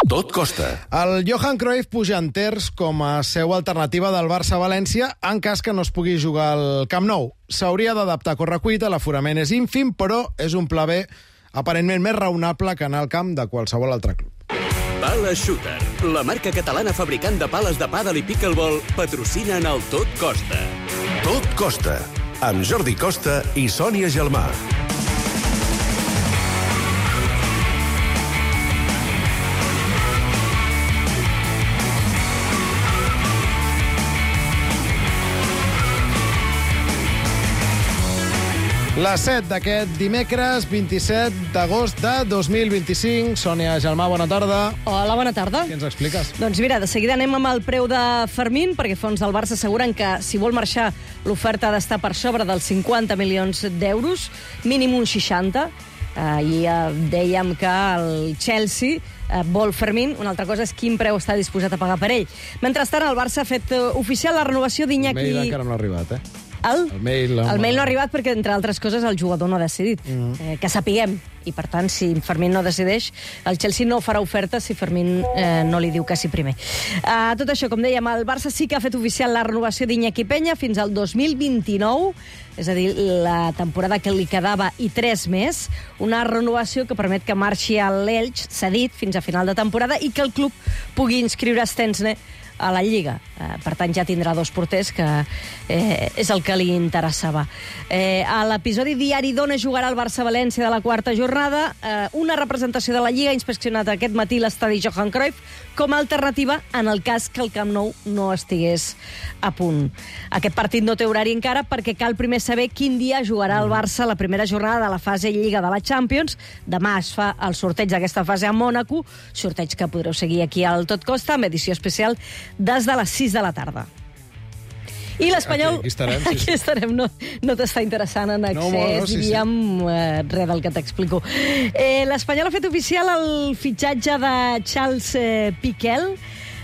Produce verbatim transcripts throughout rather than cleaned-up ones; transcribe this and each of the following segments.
Tot costa. El Johan Cruyff puja en terç com a seu alternativa del Barça-València en cas que no es pugui jugar al Camp Nou. S'hauria d'adaptar a correcuita, l'aforament és ínfim, però és un pla B aparentment més raonable que anar al camp de qualsevol altre club. Pala Shooter, la marca catalana fabricant de pales de pàdel i pickleball, patrocina en el Tot Costa. Tot costa. Amb Jordi Costa i Sònia Gelmà. Les set d'aquest dimecres, vint-i-set d'agost de dos mil vint-i-cinc. Sònia Gelmà, bona tarda. Hola, bona tarda. Què ens expliques? Doncs mira, de seguida anem amb el preu de Fermín, perquè fons del Barça asseguren que si vol marxar l'oferta ha d'estar per sobre dels cinquanta milions d'euros, mínim un seixanta. Ahir eh, dèiem que el Chelsea eh, vol Fermín, una altra cosa és quin preu està disposat a pagar per ell. Mentrestant, el Barça ha fet eh, oficial la renovació d'Iñaki... El mail encara no ha arribat, eh? El, el, mail, el mail no ha arribat perquè, entre altres coses, el jugador no ha decidit. Mm. Eh, que sapiguem. I, per tant, si Fermín no decideix, el Chelsea no farà oferta si Fermín eh, no li diu que sí primer. Uh, tot això, com dèiem, el Barça sí que ha fet oficial la renovació d'Iñaki Peña fins al dos mil vint-i-nou, és a dir, la temporada que li quedava i tres més, una renovació que permet que marxi a l'Elx, cedit, fins a final de temporada, i que el club pugui inscriure Stensne a la Lliga. Eh, per tant, ja tindrà dos porters, que eh, és el que li interessava. Eh, a l'episodi diari d'Ona jugarà el Barça-València de la quarta jornada. Eh, una representació de la Lliga ha inspeccionat aquest matí l'estadi Johan Cruyff com a alternativa en el cas que el Camp Nou no estigués a punt. Aquest partit no té horari encara perquè cal primer saber quin dia jugarà el Barça la primera jornada de la fase Lliga de la Champions. Demà es fa el sorteig d'aquesta fase a Mònaco, sorteig que podreu seguir aquí al Tot Costa, amb edició especial des de les sis de la tarda. I l'Espanyol... Aquí, aquí estarem, sí. Aquí estarem, no, no t'està interessant en accés, no, no, sí, diríem, sí. eh, res del que t'explico. Eh, L'Espanyol ha fet oficial el fitxatge de Charles eh, Piquel,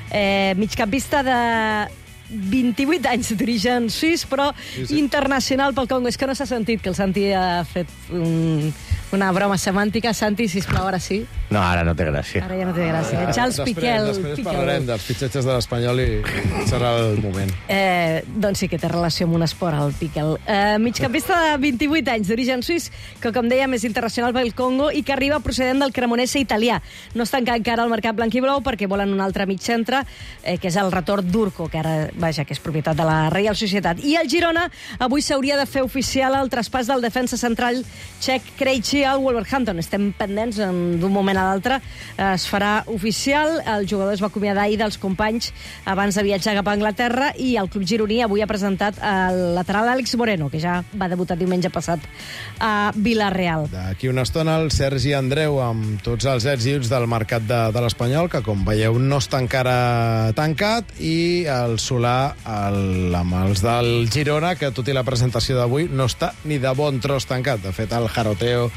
eh, migcampista de vint-i-vuit anys d'origen suís, però sí, sí. internacional pel Congo. És que no s'ha sentit que el Santi ha fet un, una broma semàntica. Santi, sisplau, ara sí. No, ara no té gràcia. Ara ja no té gràcia. Ah, Charles després, Piquel. Després Piquel. parlarem dels fitxatges de l'Espanyol i, i serà el moment. Eh, doncs sí que té relació amb un esport, el Piquel. Eh, migcampista de vint-i-vuit anys, d'origen suís, que, com dèiem, és internacional pel Congo i que arriba procedent del Cremonese italià. No es tanca encara el mercat blanc i blau perquè volen un altre mig centre, eh, que és el retorn d'Urco, que ara, vaja, que és propietat de la Reial Societat. I el Girona avui s'hauria de fer oficial el traspàs del defensa central txec Krejci al Wolverhampton. Estem pendents d'un moment a l'altre. Es farà oficial. El jugador es va acomiadar ahir dels companys abans de viatjar cap a Anglaterra i el club gironí avui ha presentat el lateral Àlex Moreno, que ja va debutar diumenge passat a Vila-real. D'aquí una estona el Sergi Andreu amb tots els ets i uts del mercat de, de l'Espanyol, que com veieu no està encara tancat, i el Solà el, amb els del Girona, que tot i la presentació d'avui no està ni de bon tros tancat. De fet, el jaroteo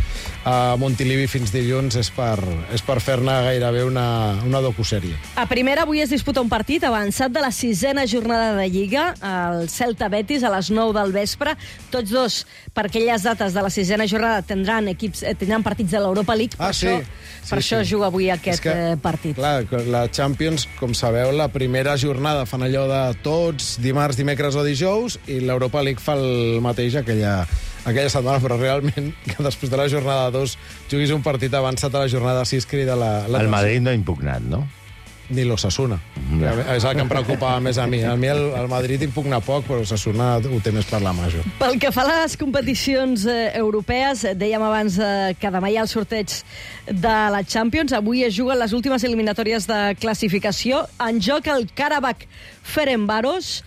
a Montilivi fins dilluns és per, és per fer-ne gairebé una, una docusèrie. A primera, avui es disputa un partit avançat de la sisena jornada de Lliga, el Celta-Betis, a les nou del vespre. Tots dos, per aquelles dates de la sisena jornada, tindran, equips, eh, tindran partits de l'Europa League. Ah, per sí. això, sí, per sí. això juga avui aquest que, eh, partit. Clar, la Champions, com sabeu, la primera jornada fan allò de tots, dimarts, dimecres o dijous, i l'Europa League fa el mateix aquella, aquella setmana, però realment que després de la jornada dos juguis un partit avançat a la jornada sis crida la... la el Madrid no ha impugnat, no? Ni l'Osasuna. No. És el que em preocupava més a mi. A mi el, el Madrid impugna poc, però l'Osasuna ho té més per la major. Pel que fa a les competicions eh, europees, dèiem abans eh, que demà hi ha el sorteig de la Champions. Avui es juguen les últimes eliminatòries de classificació. En joc el Karabakh Ferencváros.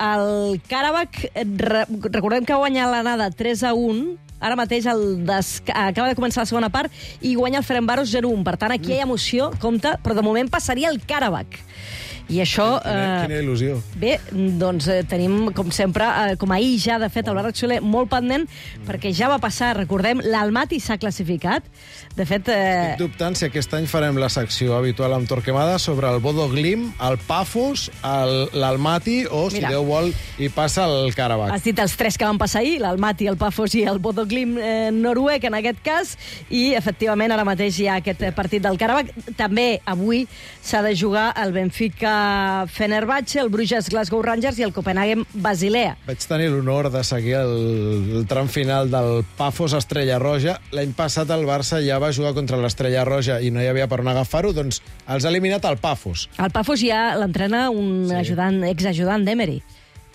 El Karabakh, re, recordem que guanya l'anada tres a un. Ara mateix el des... acaba de començar la segona part i guanya el Ferencváros zero a un. Per tant, aquí hi ha emoció, compte, però de moment passaria el Karabakh. I això... Quina, Eh, quina il·lusió. Bé, doncs eh, tenim, com sempre, eh, com ahir ja, de fet, el Bàrrec Soler molt pendent, perquè ja va passar, recordem, l'Almaty s'ha classificat. De fet... Eh... Estic dubtant si aquest any farem la secció habitual amb Torquemada sobre el Bodo Glimt, el Pafos, el- l'Almaty o, si Mira. Déu vol, hi passa el Karabakh. Has dit els tres que van passar ahir, l'Almaty, el Pafos i el Bodo Glimt eh, noruec, en aquest cas, i, efectivament, ara mateix hi ha aquest eh, partit del Karabakh. També avui s'ha de jugar el Benfica-Fenerbahce, el Bruges Glasgow Rangers i el Copenhagen-Basilea. Vaig tenir l'honor de seguir el, el tram final del Pafos Estrella Roja. L'any passat el Barça ja va jugar contra l'Estrella Roja i no hi havia per on agafar-ho, doncs els ha eliminat el Pafos. El Pafos ja l'entrena un Sí. ajudant, exajudant d'Emery,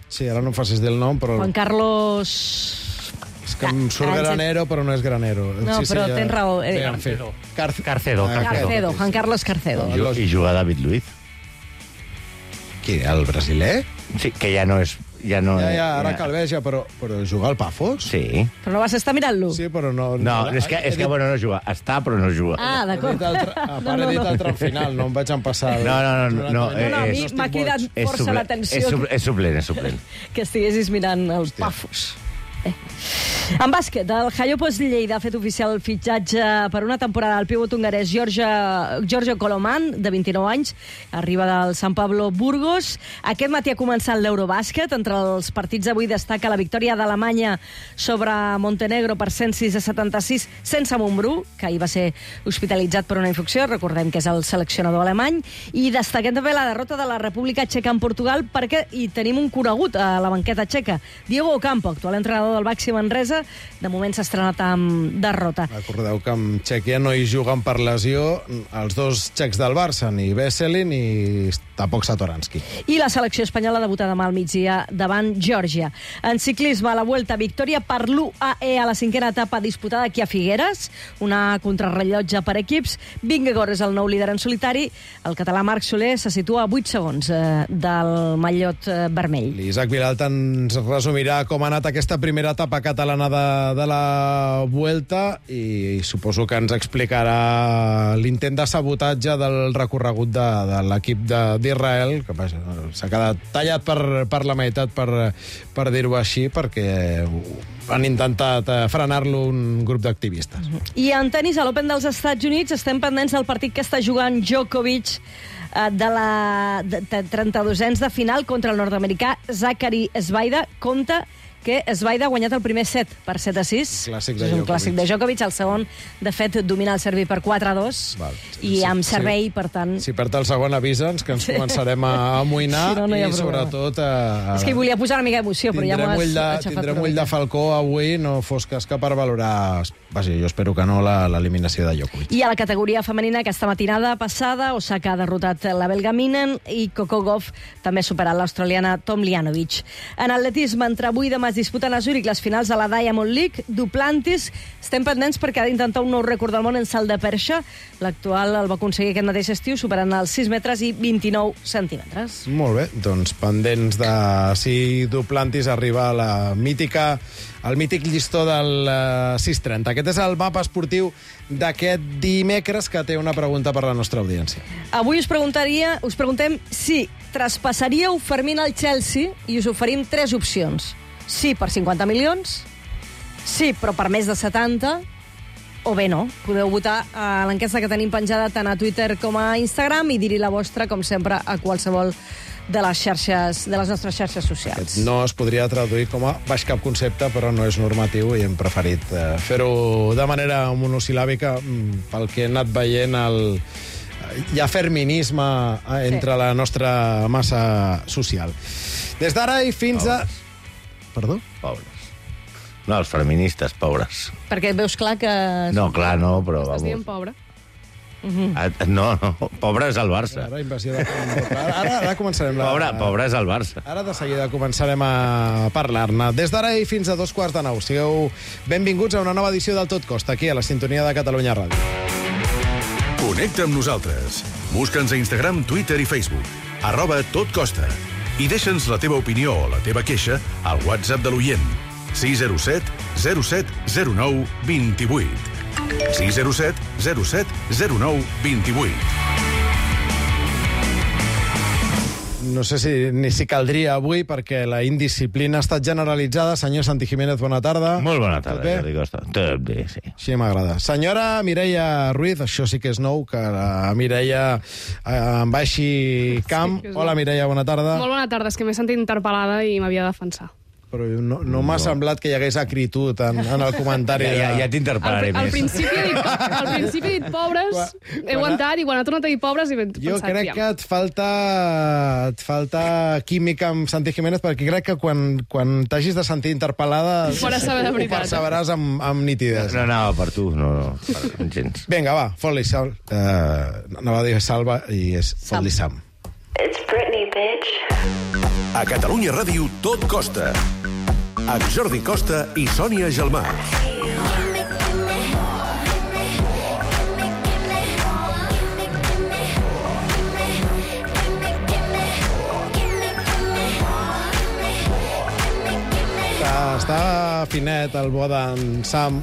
Sí, ara no em facis dir el nom, però... Juan Carlos... És que em surt Ah, granero, però no és granero. No, però tens raó. Eh, Bé, en fi. Carce- Carcedo, Ah, Carcedo, Juan Carlos Carcedo. No. I, i juga David Luiz. Qui, el brasiler? Sí, que ja no és... Ja no Ja, ja, ara calveja, però, però jugar al Pafos? Sí. Però no vas estar mirant-lo? Sí, però no... No, és que, és que bueno, no juga. Està, però no juga. Ah, He d'acord. dit el, tra... a part, he dit el tram final, no em vaig empassar. No, no, no, no, No, no, a mi és- m'ha cridat És força suple- l'atenció És, suple, és suplent, és suplent. que estiguessis mirant els Pafos. Eh. En bàsquet, el Jaiopos Lleida ha fet oficial el fitxatge per una temporada al pivot hongarès Giorgio, Giorgio Coloman, de vint-i-nou anys, arriba del San Pablo Burgos. Aquest matí ha començat l'Eurobàsquet. Entre els partits d'avui destaca la victòria d'Alemanya sobre Montenegro per cent sis a setanta-sis sense Montbrú, que ahir va ser hospitalitzat per una infecció, recordem que és el seleccionador alemany, i destaquem també la derrota de la República Txeca en Portugal, perquè hi tenim un conegut a la banqueta txeca, Diego Ocampo, actual entrenador del Baxi Manresa, de moment s'ha estrenat amb derrota. Recordeu que amb Txèquia no hi juguen per lesió els dos txecs del Barça, ni Veselin ni tampoc Satoranski. I la selecció espanyola debuta demà al migdia davant Geòrgia. En ciclisme, a la Vuelta, victòria per l'U A E a la cinquena etapa disputada aquí a Figueres, una contrarrellotge per equips. Vingegaard és el nou líder en solitari. El català Marc Soler se situa a vuit segons eh, del mallot eh, vermell. L'Isaac Vilalta ens resumirà com ha anat aquesta primera etapa catalana de, de la Vuelta i suposo que ens explicarà l'intent de sabotatge del recorregut de, de l'equip de- d'Israel, que vaja, s'ha quedat tallat per, per la meitat, per, per dir-ho així, perquè han intentat eh, frenar-lo un grup d'activistes. I en tenis, a l'Open dels Estats Units, estem pendents del partit que està jugant Djokovic eh, de la de, de trenta-dosens de final contra el nord-americà Zachary Svaida. Compte que Svaida ha guanyat el primer set per set a sis. Clàssic de és un Djokovic. clàssic de Djokovic. El segon, de fet, domina el servei per quatre a dos. Val. I Sí, amb sí. servei, per tant... Si perd el segon, avisa'ns, que ens Sí. començarem a amoïnar Si no, no hi ha i, problema. sobretot... A, a... És que hi volia posar una mica d'emoció, però ja m'ho Tindrem has ull de, aixafat tindrem una ull de mica. Falcó avui, no fos cas que per valorar... Vaja, jo espero que no, la- l'eliminació de Djokovic. I a la categoria femenina, aquesta matinada passada, Osaka ha derrotat la belga Minen i Coco Gauff també ha superat l'australiana Tomljanovic. En atletisme, entre avui i demà es disputen a Zúrich les finals de la Diamond League. Duplantis, estem pendents perquè ha d'intentar un nou rècord del món en salt de perxa. L'actual el va aconseguir aquest mateix estiu, superant els sis metres i vint-i-nou centímetres. Molt bé, doncs pendents de si Duplantis arriba a la mítica, al mític llistó del uh, sis trenta. Aquest és el mapa esportiu d'aquest dimecres, que té una pregunta per la nostra audiència. Avui us preguntaria, us preguntem si traspassaríeu Fermín al Chelsea i us oferim tres opcions. Sí, per cinquanta milions, sí, però per més de setanta, o bé no. Podeu votar a l'enquesta que tenim penjada tant a Twitter com a Instagram i dir-hi la vostra, com sempre, a qualsevol de les xarxes, de les nostres xarxes socials. No es podria traduir com a baix cap concepte, però no és normatiu i hem preferit eh, fer-ho de manera monosil·làbica mm, pel que he anat veient el... Hi ha ferminisme eh, entre Sí. la nostra massa social. Des d'ara i fins a... Perdó? Pobres. No, els feministes, pobres. Perquè veus clar que... No, clar, no, però... Estàs dient Vamos. pobre. Ah, no, no, pobre és el Barça. Ara, invasió de... ara, ara, ara començarem la... Pobre, pobre és el Barça. Ara de seguida començarem a parlar-ne. Des d'ara i fins a dos quarts de nou. Sigueu benvinguts a una nova edició del Tot Costa, aquí a la sintonia de Catalunya Ràdio. Connecta amb nosaltres. Busca'ns a Instagram, Twitter i Facebook. Arroba Tot Costa. I deixa'ns la teva opinió o la teva queixa al WhatsApp de l'oient. sis zero set zero set zero nou dos vuit. sis zero set zero set zero nou dos vuit. no sé si ni si caldria avui, perquè la indisciplina ha estat generalitzada. Senyor Santi Jiménez, bona tarda. Molt bona Tot tarda, bé? Jordi Costa. Tot bé, sí. Sí, m'agrada. Senyora Mireia Ruiz, això sí que és nou, que la Mireia eh, en baixi camp. Sí que és Hola, nou. Mireia, bona tarda. Molt bona tarda, és que m'he sentit interpel·lada i m'havia de defensar. Però no, no m'ha semblat que hi hagués acritud en, en el comentari. Ja, ja, ja Al, t'interpel·laré al, més. principi he dit, al principi he dit pobres, Quan- he aguantat, i quan ha tornat a dir pobres he pensat, Jo crec ja. que et falta, et falta química amb Santi Jiménez, perquè crec que quan, quan t'hagis de sentir interpel·lada Ho faràs saber de ho veritat. percebràs amb, amb nitidesa. No anava per tu, no, no, per gens. Vinga, va, fot-li sal. Uh, anava a dir salva i és fot-li Sam. It's Britney, bitch. A Catalunya Ràdio tot costa. Amb Jordi Costa i Sònia Gelmà. Està, està finet el bo d'en Sam.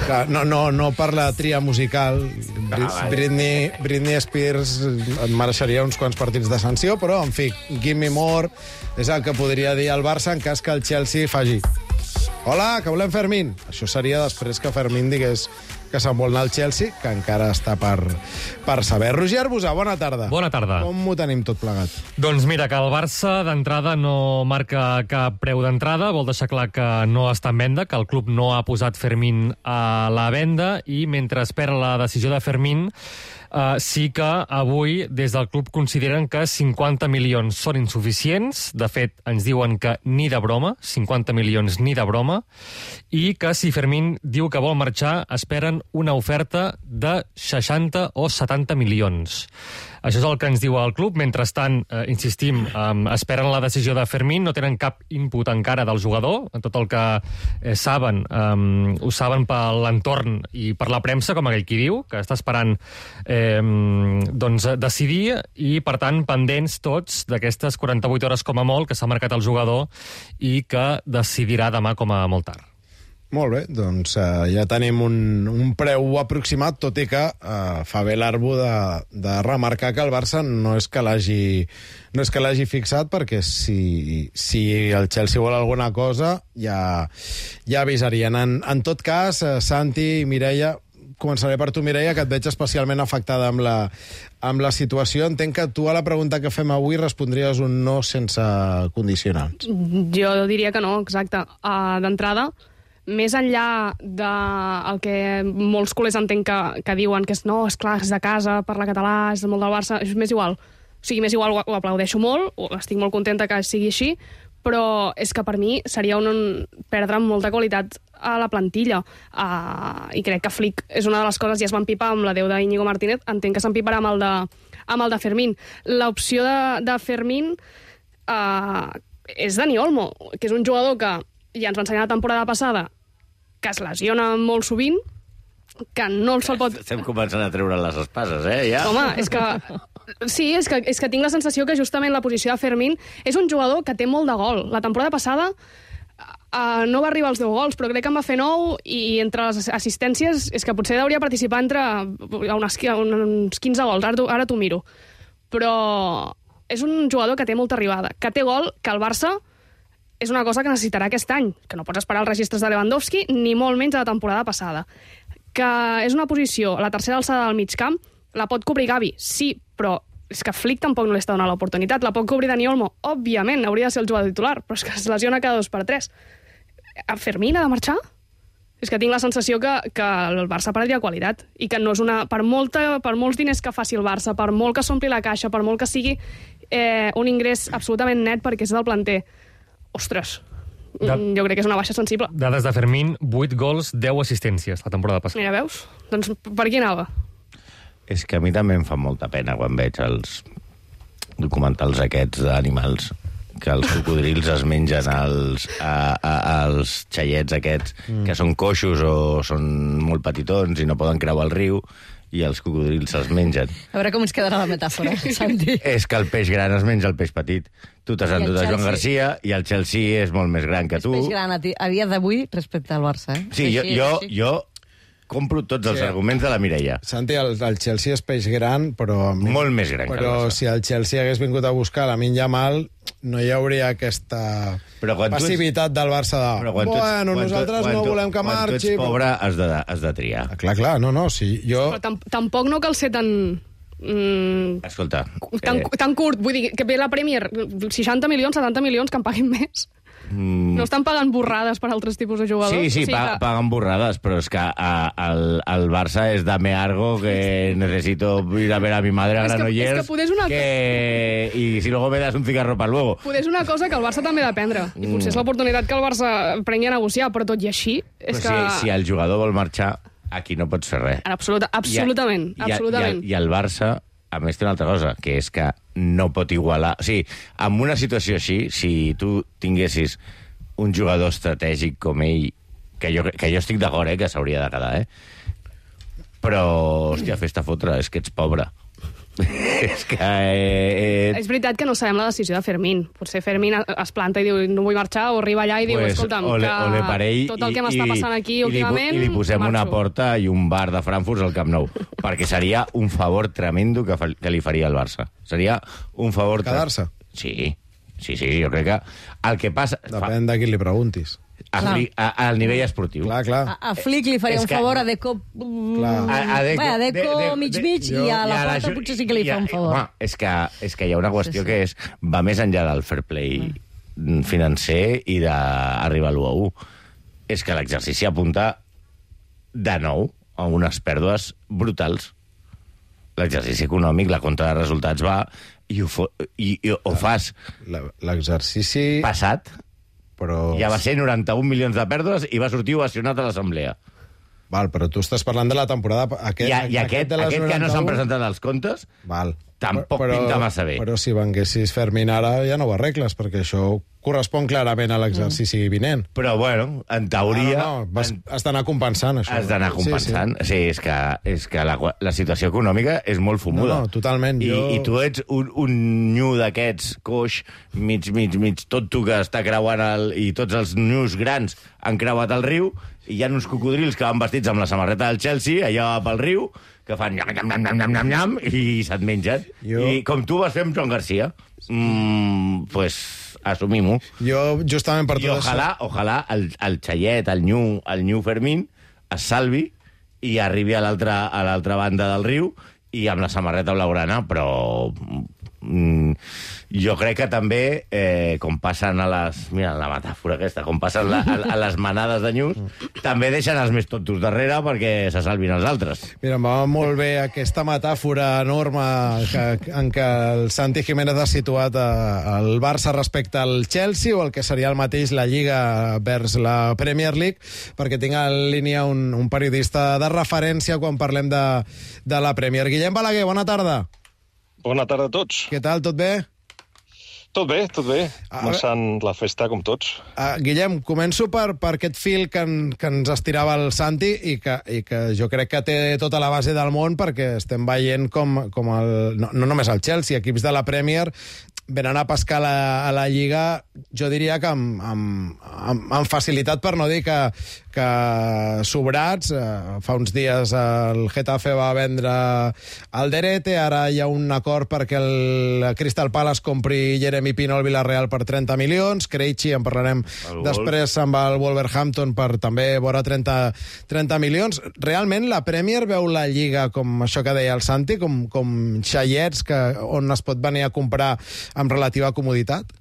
Que no, no, no per la tria musical. Bri- Britney, Britney Spears en mereixeria uns quants partits de sanció, però, en fi, give me more és el que podria dir el Barça en cas que el Chelsea faci. Hola, que volem Fermín. Això seria després que Fermín digués que se'n vol anar al Chelsea, que encara està per, per saber. Roger Arbusà, bona tarda. Bona tarda. Com ho tenim tot plegat? Doncs mira, que el Barça d'entrada no marca cap preu d'entrada, vol deixar clar que no està en venda, que el club no ha posat Fermín a la venda, i mentre espera la decisió de Fermín, eh, sí que avui des del club consideren que cinquanta milions són insuficients. De fet, ens diuen que ni de broma, cinquanta milions ni de broma, i que si Fermín diu que vol marxar, esperen una oferta de seixanta o setanta milions. Això és el que ens diu el club. Mentrestant, eh, insistim, eh, esperen la decisió de Fermín, no tenen cap input encara del jugador. Tot el que eh, saben, eh, ho saben per l'entorn i per la premsa, com aquell qui diu, que està esperant eh, doncs, decidir, i, per tant, pendents tots d'aquestes quaranta-vuit hores com a molt que s'ha marcat el jugador i que decidirà demà com a molt tard. Molt bé, doncs uh, ja tenim un, un preu aproximat, tot i que uh, fa bé l'Arbo de, de remarcar que el Barça no és que l'hagi no és que l'hagi fixat, perquè si, si el Chelsea vol alguna cosa ja, ja avisarien. En, en tot cas, uh, Santi i Mireia, començaré per tu, Mireia, que et veig especialment afectada amb la, amb la situació. Entenc que tu a la pregunta que fem avui respondries un no sense condicionants. Jo diria que no, exacte. Uh, D'entrada, més enllà del que molts culers entenc que, que diuen que és no, és clar, és de casa, parla català, és molt del Barça, és més igual. O sigui, més igual, ho, ho aplaudeixo molt, estic molt contenta que sigui així, però és que per mi seria un, un perdre molta qualitat a la plantilla. Uh, I crec que Flick és una de les coses, ja es va empipar amb la deu d'Iñigo Martínez, entenc que s'empiparà amb el de, amb el de Fermín. L'opció de, de Fermín uh, és Dani Olmo, que és un jugador que ja ens va ensenyar la temporada passada que es lesiona molt sovint, que no se'l pot... Estem començant a treure les espases, eh, ja? Home, és que... Sí, és que, és que tinc la sensació que justament la posició de Fermín és un jugador que té molt de gol. La temporada passada uh, no va arribar als deu gols, però crec que en va fer nou, i entre les assistències és que potser hauria participar entre unes, uns quinze gols, ara, ara t'ho miro. Però és un jugador que té molta arribada, que té gol, que el Barça és una cosa que necessitarà aquest any, que no pots esperar els registres de Lewandowski, ni molt menys de la temporada passada. Que és una posició, la tercera alçada del mig camp, la pot cobrir Gavi, sí, però és que Flick tampoc no li està donant l'oportunitat. La pot cobrir Dani Olmo, òbviament, hauria de ser el jugador titular, però és que es lesiona cada dos per tres. A Fermín ha de marxar? És que tinc la sensació que, que el Barça perdria qualitat, i que no és una... Per, molta, per molts diners que faci el Barça, per molt que s'ompli la caixa, per molt que sigui eh, un ingrés absolutament net perquè és del planter, ostres, De... jo crec que és una baixa sensible. Dades de Fermín, vuit gols, deu assistències la temporada passada. Mira, veus? Doncs per qui anava? És que a mi també em fa molta pena quan veig els documentals aquests d'animals, que els cocodrils es mengen els, a, a, els xaiets aquests, mm. que són coixos o són molt petitons i no poden creuar el riu, i els cocodrils se'ls mengen. A veure com ens quedarà la metàfora, Santi. És que el peix gran es menja el peix petit. Tu t'has I el endut a Joan Chelsea. Garcia i el Chelsea és molt més gran que És tu. peix gran a, ti- a dia d'avui respecte al Barça, eh? Sí, jo, Així, jo, així. jo compro tots els Sí. arguments de la Mireia. Santi, el, el Chelsea és peix gran, però... Molt més gran que el Però Barça. si el Chelsea hagués vingut a buscar Lamine Yamal, no hi hauria aquesta Però quan tu ets- passivitat del Barça de... Però quan tu ets- Bueno, quan tu- nosaltres quan no tu- volem que Quan tu marxi... ets pobre, has de, has de triar. Ah, clar, clar, no, no, sí, jo... Però tam tampoc no cal ser tan... Mm, Escolta... tan, eh, tan curt. Vull dir, que ve la Premier, seixanta milions, setanta milions, que en paguin més. mm, No estan pagant borrades per altres tipus de jugadors. Sí, sí, O sigui pa que- paguen borrades, però és que a, el, el Barça és dame algo que necesito ir a ver a mi madre a És que- Granollers és que potser és una- que... y si luego me das un cigarro para luego. Poder és una cosa que el Barça també ha de prendre. I Mm. potser és l'oportunitat que el Barça prengui a negociar, però tot i així... És Però que... si, si el jugador vol marxar, aquí no pots fer res. Absoluta, absolutament, I, a- absolutament. I, el, I el Barça, a més, té una altra cosa, que és que no pot igualar... O sigui, en una situació així, si tu tinguessis un jugador estratègic com ell, que jo, que jo estic d'acord, eh, que s'hauria de quedar, eh? Però, hòstia, fes-te fotre, és que ets pobre. és que... Eh, És veritat que no sabem la decisió de Fermín. Potser Fermín es planta i diu no vull marxar, o arriba allà i diu, pues, escolta'm, ole, que ole per ell, tot el que i- m'està i- passant aquí i li, últimament... I li posem una marxo. porta i un bar de Frankfurt al Camp Nou, perquè seria un favor tremendo que, fa, que li faria al Barça. Seria un favor... tre- Quedar-se? Sí, sí, sí, jo crec que el que passa... Depèn de qui li preguntis. Fa, a, a, a, al nivell esportiu. Clar, clar. A, a Flick li faria És un que- favor, a Deco... Clar. A, a Deco, Bé, a Deco de- de- mig-mig, de- i a la i Porta Ju- potser sí que li i a- fa un favor. Home, és que, és que hi ha una qüestió Sí, sí. que és, va més enllà del fair play Mm. financer i d'arribar a l'u a u. És que l'exercici apunta de nou a unes pèrdues brutals. L'exercici econòmic, la compta de resultats va i ho, fo, i, i ho fas La- L'exercici... passat, Però... ja va ser noranta-un milions de pèrdues i va sortir ovacionat a l'assemblea. Val, però tu estàs parlant de la temporada... Aquest, I, a- i aquest, de les aquest que no s'han noranta-u, presentat els comptes, Val. tampoc pinta massa bé. Però si venguessis Fermín ara ja no ho arregles, perquè això correspon clarament a l'exercici Mm. vinent. però bueno, en teoria... No, no, vas, en- has d'anar compensant, això. Has d'anar compensant. Sí, sí. sí és que, és que la, la situació econòmica és molt fumuda. No, no, totalment. I, Jo- I tu ets un, un nyu d'aquests, coix, mig, mig, mig, tot tu que està creuant el... I tots els nyus grans han creuat el riu, i hi ha uns cocodrils que van vestits amb la samarreta del Chelsea, allà pel riu, que fan nyam, nyam, nyam, nyam, nyam, nyam, i se't mengen. Jo- I com tu vas fer amb Joan Garcia, mm, pues assumim-ho. Jo, justament per I tot ojalà, ojalà el, el Xaiet, el Nyu, el Nyu Fermín es salvi i arribi a l'altra a l'altra banda del riu i amb la samarreta blaugrana, però mm, jo crec que també, eh, com passen a les... Mira, la metàfora aquesta, com passen la, a, a les manades de nyus, també deixen els més tontos darrere perquè se salvin els altres. Mira, em va molt bé aquesta metàfora enorme que, en què el Santi Jiménez ha situat eh, el Barça respecte al Chelsea, o el que seria el mateix la Lliga vers la Premier League, perquè tinc en línia un, un periodista de referència quan parlem de, de la Premier. Guillem Balaguer, bona tarda. Bona tarda a tots. Què tal, tot bé? Tot bé, tot bé. A Començant la festa com tots. Uh, Guillem, començo per, per aquest fil que, en, que ens estirava el Santi i que, i que jo crec que té tota la base del món, perquè estem veient com, com el, no, no només el Chelsea, equips de la Premier venen a pescar la, a la Lliga, jo diria que amb, amb, amb, amb facilitat, per no dir que, que sobrats. Uh, fa uns dies el Getafe va vendre el Derete, ara hi ha un acord perquè el Crystal Palace compri Jeremy Pino al Villarreal per trenta milions, Krejci, en parlarem El després, se'n va al Wolverhampton per també vora trenta, trenta milions. Realment la Premier veu la Lliga com això que deia el Santi, com, com xaiets que, on es pot venir a comprar amb relativa comoditat?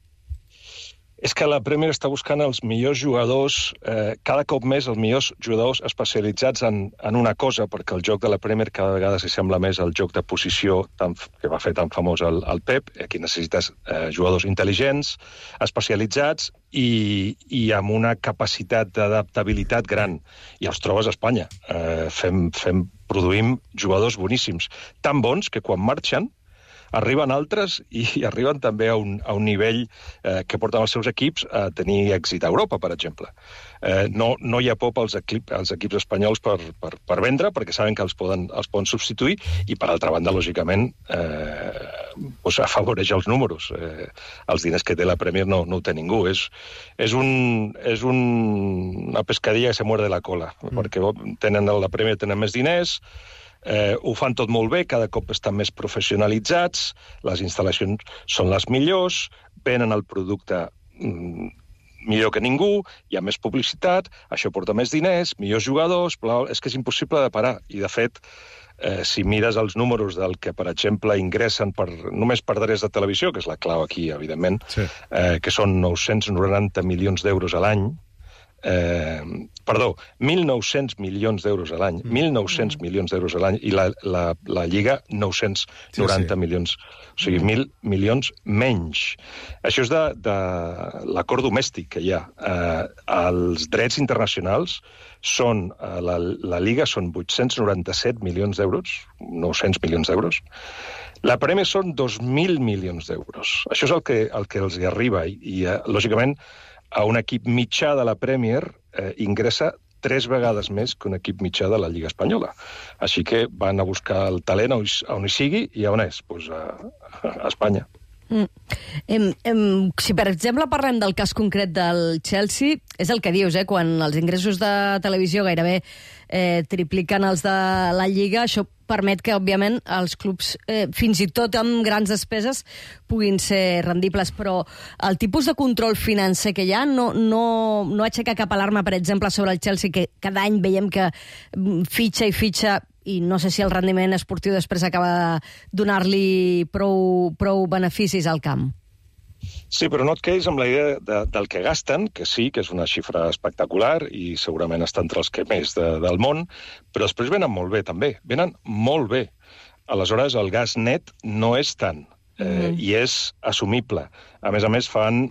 És que la Premier està buscant els millors jugadors, eh, cada cop més els millors jugadors especialitzats en, en una cosa, perquè el joc de la Premier cada vegada s'assembla més al joc de posició tan, que va fer tan famós el, el Pep. Aquí necessites eh, jugadors intel·ligents, especialitzats i, i amb una capacitat d'adaptabilitat gran. I els trobes a Espanya. Eh, fem, fem, produïm jugadors boníssims, tan bons que quan marxen arriben altres i arriben també a un, a un nivell eh, que porten els seus equips a tenir èxit a Europa, per exemple. Eh, no, no hi ha por pels equip, els equips espanyols per, per, per vendre, perquè saben que els poden, els poden substituir, i per altra banda, lògicament, eh, pues, afavoreix els números. Eh, els diners que té la Premier no, no ho té ningú. És, és, un, és un, una pescadilla que se muerde la cola, mm. perquè tenen, la Premier tenen més diners, eh, ho fan tot molt bé, cada cop estan més professionalitzats, les instal·lacions són les millors, venen el producte mm, millor que ningú, hi ha més publicitat, això porta més diners, millors jugadors, bla, és que és impossible de parar. I, de fet, eh, si mires els números del que, per exemple, ingressen per, només per drets de televisió, que és la clau aquí, evidentment, sí. eh, que són nou-cents noranta milions d'euros a l'any, eh, perdó, mil nou-cents milions d'euros a l'any, mm. mil nou-cents mm. milions d'euros a l'any, i la, la, la Lliga nou-cents noranta sí, sí. milions, o sigui, mil milions menys. Això és de, de l'acord domèstic que hi ha. Eh, els drets internacionals són, eh, la, la Lliga són vuit-cents noranta-set milions d'euros, nou-cents milions d'euros, la Premier són dos mil milions d'euros. Això és el que, el que els hi arriba, i, i eh, lògicament, a un equip mitjà de la Premier eh, ingressa tres vegades més que un equip mitjà de la Lliga Espanyola. Així que van a buscar el talent on, on hi sigui, i on és? Pues a, a Espanya. Mm. Em, em, si, per exemple, parlem del cas concret del Chelsea, és el que dius, eh? Quan els ingressos de televisió gairebé eh, tripliquen els de la Lliga, això permet que, òbviament, els clubs, eh, fins i tot amb grans despeses, puguin ser rendibles, però el tipus de control financer que hi ha no, no, no aixeca cap alarma, per exemple, sobre el Chelsea, que cada any veiem que fitxa i fitxa, i no sé si el rendiment esportiu després acaba de donar-li prou, prou beneficis al camp. Sí, però no et quedis amb la idea de, del que gasten, que sí, que és una xifra espectacular i segurament està entre els que més de, del món, però després venen molt bé, també. Venen molt bé. Aleshores, el gas net no és tant, eh, mm. i és assumible. A més a més, fan,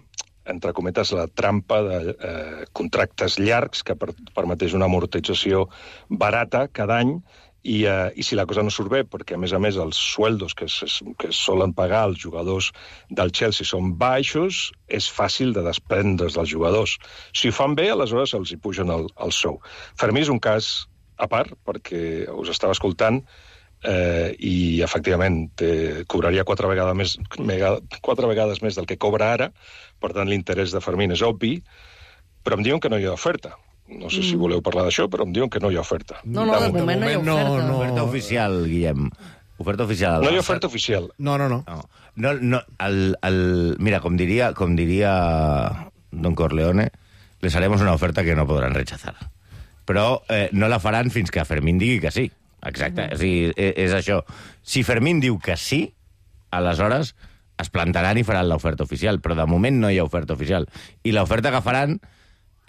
entre cometes, la trampa de eh, contractes llargs que per, permeteix una amortització barata cada any, I, uh, i si la cosa no surt bé, perquè a més a més els sueldos que es, que es solen pagar als jugadors del Chelsea són baixos, és fàcil de desprendre's dels jugadors. Si ho fan bé, aleshores els hi pugen el, el sou. Fermí és un cas a part, perquè us estava escoltant eh, i efectivament te cobraria quatre vegades més, mega, quatre vegades més del que cobra ara, per tant l'interès de Fermín és obvi, però em diuen que no hi ha oferta. No sé si voleu parlar d'això, però em diuen que no hi ha oferta. No, no, de, de moment no hi ha oferta. No, no. Oferta oficial, Guillem. Oferta oficial. No hi ha oferta oficial. No, no, no. no. no, no el, el, mira, com diria, com diria Don Corleone, les haremos una oferta que no podran rechazar. Però eh, no la faran fins que Fermín digui que sí. Exacte. Mm. O sigui, és, és això. Si Fermín diu que sí, aleshores es plantaran i faran l'oferta oficial, però de moment no hi ha oferta oficial. I l'oferta que faran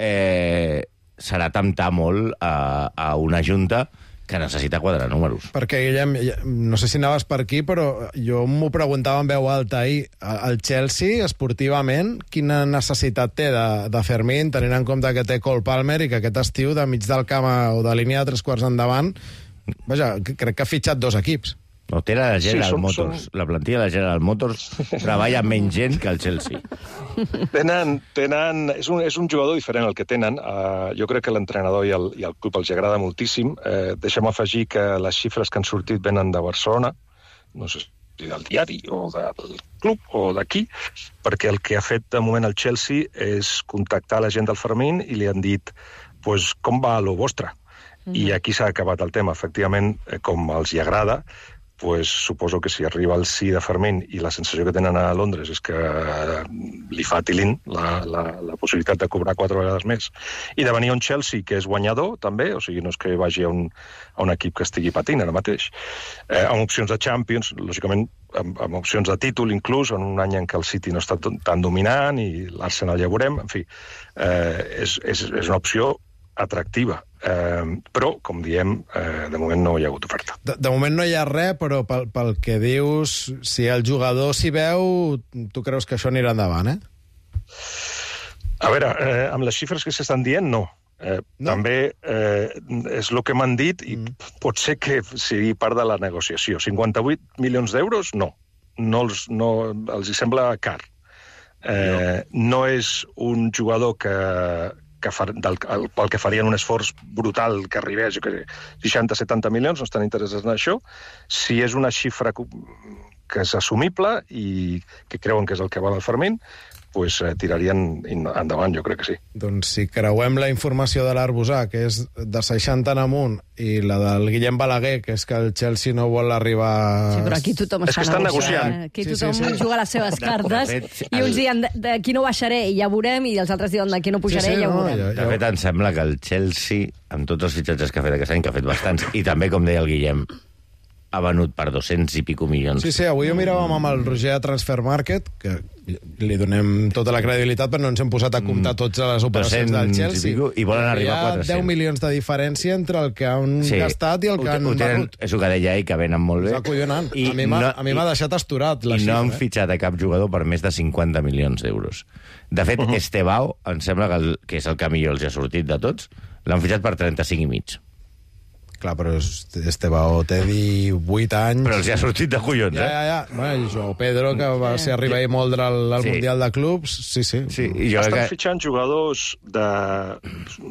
eh, serà temptar molt a, a una junta que necessita quadrar números. Perquè, Guillem, no sé si anaves per aquí, però jo m'ho preguntava en veu alta ahir. El Chelsea, esportivament, quina necessitat té de, de Fermín, tenint en compte que té Cole Palmer i que aquest estiu, de mig del camp o de línia de tres quarts endavant, vaja, crec que ha fitxat dos equips. No, té la General sí, som, Motors. som... La plantilla de General Motors treballa menys gent que el Chelsea. Tenen, tenen, és, un, és un jugador diferent el que tenen. Uh, jo crec que l'entrenador i, el, i el club els agrada moltíssim. Uh, deixa'm afegir que les xifres que han sortit venen de Barcelona, no sé si del diari o del club o d'aquí, perquè el que ha fet de moment el Chelsea és contactar la gent del Fermín i li han dit pues, com va lo vostre. Mm-hmm. I aquí s'ha acabat el tema. Efectivament, com els hi agrada, pues, suposo que si arriba el sí de Fermín i la sensació que tenen a Londres és que li fa tilín la, la, la possibilitat de cobrar quatre vegades més i de venir a un Chelsea que és guanyador també, o sigui, no és que vagi a un, a un equip que estigui patint ara mateix, eh, amb opcions de Champions, lògicament amb, amb opcions de títol inclús, en un any en què el City no està tan dominant i l'Arsenal ja veurem, en fi, eh, és, és, és una opció atractiva. Eh, però, com diem, eh, de moment no hi ha hagut oferta. De, de moment no hi ha res, però pel, pel que dius, si el jugador s'hi veu, tu creus que això anirà endavant, eh? A veure, eh, amb les xifres que s'estan dient, no. Eh, no. També eh, és el que m'han dit i mm. pot ser que sigui part de la negociació. cinquanta-vuit milions d'euros, no. No els, no, els hi sembla car. Eh, no. no és un jugador que... que far, del, el, pel que farien un esforç brutal que arribés, jo que sé, seixanta setanta milions, no estan interessats en això. Si és una xifra que és assumible i que creuen que és el que val el Fermín, pues, eh, tirarien endavant, jo crec que sí. Doncs si creuem la informació de l'Arbusà, que és de seixanta en amunt, i la del Guillem Balaguer, que és que el Chelsea no vol arribar... Sí, però aquí tothom és està que estan negociant. negociant. Aquí Sí, tothom sí, sí. juga les seves cartes, De fet, i uns el- diuen d'aquí no baixaré i ja veurem, i els altres diuen d'aquí no pujaré i ja ho veurem. De fet, em sembla que el Chelsea, amb tots els fitxatges que ha fet aquest any, que ha fet bastants, i també, com deia el Guillem, ha venut per dos-cents i pico milions. Sí, sí, avui ho miràvem amb el Roger a Transfer Market, que li donem tota la credibilitat, però no ens hem posat a comptar totes les operacions del doscents i Chelsea. pico, i volen arribar a Hi ha quatre-cents. deu milions de diferència entre el que han gastat i el ho que te- han ho tenen, venut. és el que deia ell, que venen molt bé. És acollonant. I A mi m'ha no- a mi m'ha i- deixat asturat la I no han xifra. eh? fitxat a cap jugador per més de cinquanta milions d'euros. De fet, uh -huh. Estebao, em sembla que, el, que és el que millor els ha sortit de tots, l'han fitxat per trenta-cinc i mig. Clar, però Estebao té divuit anys... Però els hi ha sortit de collons, Ja, eh? ja, ja. Bueno, i Joao Pedro, que va ser arribar i moldre al, al Sí. Mundial de Clubs, sí, sí. Sí, i jo Estan crec que... fitxant jugadors de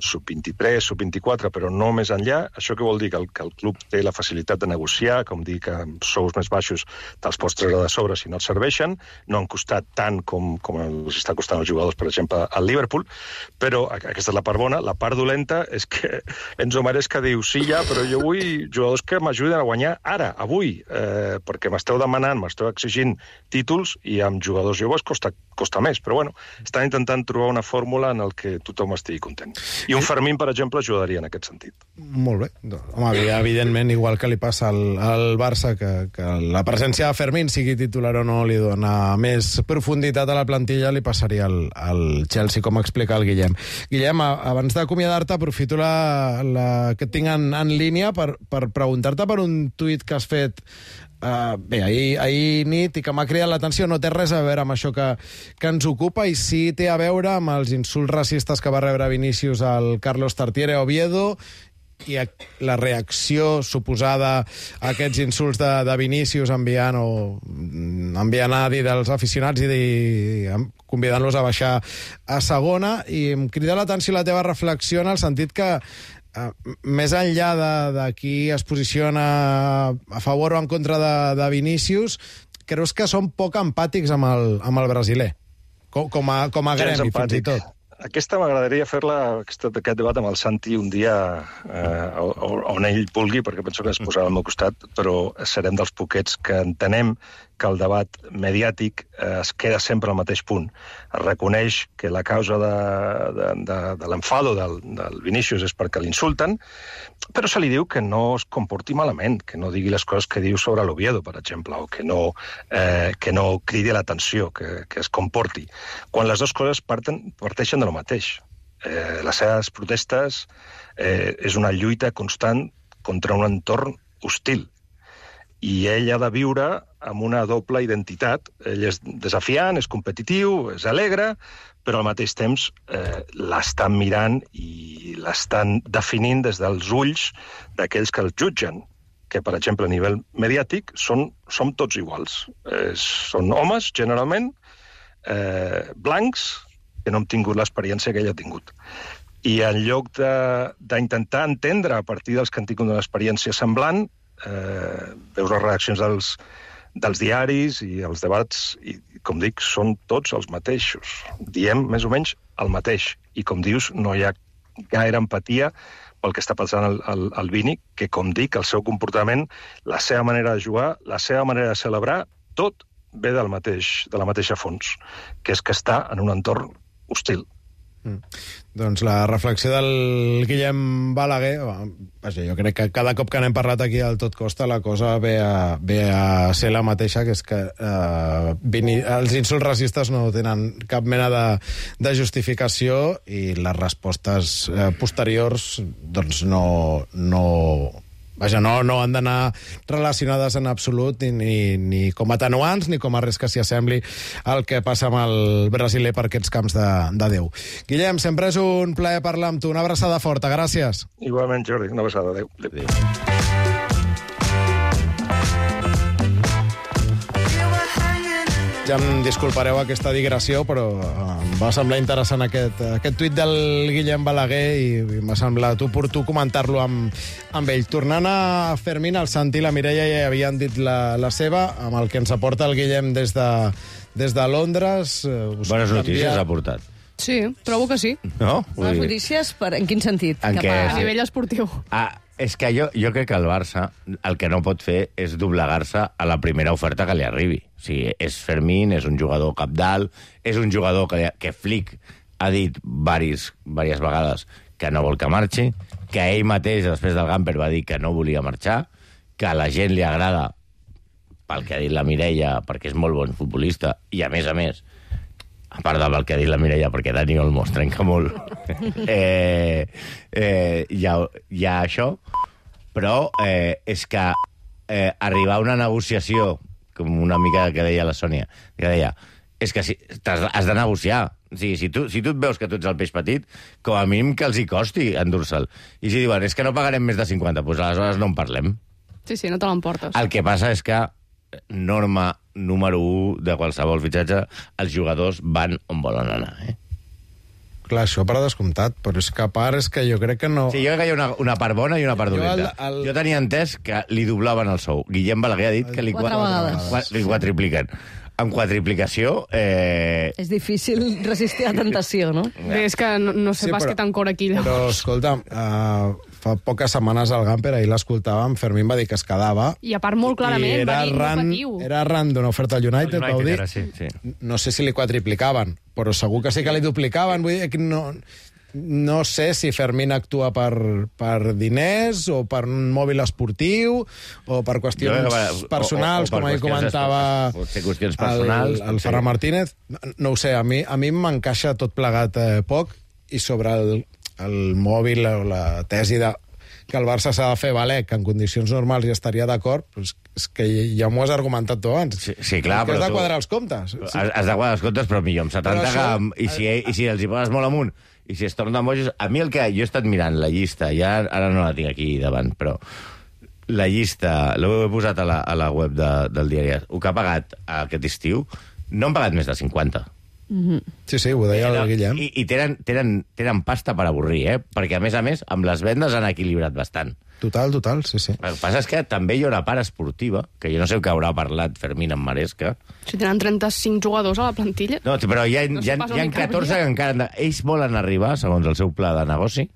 sub vint-i-tres, sub vint-i-quatre, però no més enllà. Això què vol dir? Que el, que el club té la facilitat de negociar, com dir que amb sous més baixos te'ls pots treure de sobre si no et serveixen. No han costat tant com, com els està costant els jugadors, per exemple, al Liverpool, però aquesta és la part bona. La part dolenta és que Enzo Maresca diu sí, ja, però jo vull jugadors que m'ajuden a guanyar ara, avui, eh, perquè m'esteu demanant, m'esteu exigint títols i amb jugadors joves costa, costa més. Però bueno, estan intentant trobar una fórmula en el que tothom estigui content. I un Fermín, per exemple, ajudaria en aquest sentit. Molt bé. Doncs, home, evidentment, igual que li passa al, al Barça, que, que la presència de Fermín, sigui titular o no, li dona més profunditat a la plantilla, li passaria al, al Chelsea, com explica el Guillem. Guillem, a- abans d'acomiadar-te, aprofito la, la que et tinc en, en línia per, per preguntar-te per un tuit que has fet Uh, bé, ahir, ahir nit i que m'ha cridat l'atenció. No té res a veure amb això que, que ens ocupa i sí té a veure amb els insults racistes que va rebre Vinícius al Carlos Tartiere a Oviedo i a, la reacció suposada a aquests insults de, de Vinícius enviant o enviant a dir dels aficionats i, i convidant-los a baixar a segona, i em crida l'atenció la teva reflexió en el sentit que Uh, més enllà de, de qui es posiciona a favor o en contra de, de Vinícius, creus que són poc empàtics amb el, amb el brasiler? Com, com a, com a Gens gremi, fins i empàtic. tot. Aquesta m'agradaria fer-la, aquest, aquest debat amb el Santi un dia eh, on ell vulgui, perquè penso que es posarà al meu costat, però serem dels poquets que entenem que el debat mediàtic eh, es queda sempre al mateix punt. Es reconeix que la causa de, de, de, de l'enfado del, del Vinícius és perquè l'insulten, però se li diu que no es comporti malament, que no digui les coses que diu sobre l'Oviedo, per exemple, o que no, eh, que no cridi l'atenció, que, que es comporti. Quan les dues coses parten, parteixen de lo mateix. Eh, les seves protestes eh, és una lluita constant contra un entorn hostil. I ell ha de viure amb una doble identitat. Ell és desafiant, és competitiu, és alegre, però al mateix temps eh, l'estan mirant i l'estan definint des dels ulls d'aquells que el jutgen, que, per exemple, a nivell mediàtic, són, som tots iguals. Eh, són homes, generalment, eh, blancs, que no hem tingut l'experiència que ell ha tingut. I en lloc d'intentar entendre a partir dels que han tingut una experiència semblant, eh, veus les reaccions dels, dels diaris i els debats, i, com dic, són tots els mateixos. Diem més o menys el mateix. I, com dius, no hi ha gaire empatia pel que està passant el, el, el Vini, que, com dic, el seu comportament, la seva manera de jugar, la seva manera de celebrar, tot ve del mateix, de la mateixa fons, que és que està en un entorn hostil. Mm. Doncs la reflexió del Guillem Balaguer, vaja, jo crec que cada cop que n'hem parlat aquí al Tot Costa la cosa ve a, ve a ser la mateixa, que és que eh, vini, els insults racistes no tenen cap mena de, de justificació i les respostes eh, posteriors doncs no... no Vaja, no, no han d'anar relacionades en absolut ni, ni, ni com a atenuants ni com a res que s'hi assembli al que passa amb el brasiler per aquests camps de, de Déu. Guillem, sempre és un plaer parlar amb tu. Una abraçada forta, gràcies. Igualment, Jordi, una abraçada. Adéu. Adéu. ja em disculpareu aquesta digressió, però em va semblar interessant aquest, aquest tuit del Guillem Balaguer i m'ha semblat oportú comentar-lo amb, amb ell. Tornant a Fermín, el Santi i la Mireia ja havien dit la, la seva, amb el que ens aporta el Guillem des de, des de Londres. Us Bones canvia... notícies ha portat. Sí, trobo que sí. No? Les notícies, per, en quin sentit? En Cap què? A nivell esportiu. Ah, és que jo, jo crec que el Barça el que no pot fer és doblegar-se a la primera oferta que li arribi. O sigui, és Fermín, és un jugador capdalt, és un jugador que, que Flick ha dit varis, diverses vegades que no vol que marxi, que ell mateix, després del Gamper, va dir que no volia marxar, que a la gent li agrada, pel que ha dit la Mireia, perquè és molt bon futbolista, i a més a més, a part del que ha dit la Mireia, perquè Dani Olmo es trenca molt, eh, eh, hi, ha, hi ha això, però eh, és que eh, arribar a una negociació, com una mica que deia la Sònia, que deia, és que si, has, has de negociar. O sigui, si tu, si tu et veus que tu ets el peix petit, com a mínim que els hi costi endur-se'l. I si diuen, és que no pagarem més de cinquanta, doncs aleshores no en parlem. Sí, sí, no te l'emportes. El que passa és que norma número u de qualsevol fitxatge, els jugadors van on volen anar, eh? Clar, això per descomptat, però és que a part és que jo crec que no... Sí, jo crec que hi ha una, una part bona i una part Jo dolenta. el- el- Jo tenia entès que li doblaven el sou. Guillem Balaguer ha dit que li, Quatre qua- vegades. qua- li quadripliquen. Amb quadriplicació... Eh... És difícil resistir la tentació, no? Bé, és que no, no sé Sí, pas però- què tan cor aquí. Però, escolta'm, uh, fa poques setmanes al Gamper, ahir l'escoltàvem, Fermín va dir que es quedava... I a part, molt clarament, I va dir, no arran, patiu. era arran d'una oferta al United, El vau United dir. era, sí. Sí. No sé si li quadriplicaven, però segur que sí que li duplicaven. Vull dir que no, no sé si Fermín actua per, per diners o per un mòbil esportiu o per qüestions Jo crec que va- personals, o- o- o per com ahir qüestions comentava es- pot ser qüestions personals, el, el pot ser. Ferran Martínez. No ho sé, a mi, a mi m'encaixa tot plegat eh, poc, i sobre el, el mòbil o la tesi de que el Barça s'ha de fer valer, que en condicions normals ja estaria d'acord, doncs és que ja m'ho has argumentat tu abans. Sí, sí, clar, que has però de tu- quadrar els comptes. Sí. Has, has de guardar els comptes, però millor amb setanta Però això- que... I si, I si els hi poses molt amunt, i si es tornen bojos... A mi el que... Jo he estat mirant la llista, ja ara no la tinc aquí davant, però la llista, l'he posat a la, a la web de, del diari, el que ha pagat aquest estiu, no han pagat més de cinquanta. Sí, sí, ho deia el Guillem. I, i tenen, tenen, tenen pasta per avorrir, eh? Perquè, a més a més, amb les vendes han equilibrat bastant. Total, total, sí, sí. El que passa és que també hi ha una part esportiva, que jo no sé què haurà parlat Fermín amb Maresca. Si tenen trenta-cinc jugadors a la plantilla... No, però hi ha, No hi ha, sé pas hi ha on hi catorze cabria. que encara... han de- Ells volen arribar, segons el seu pla de negoci,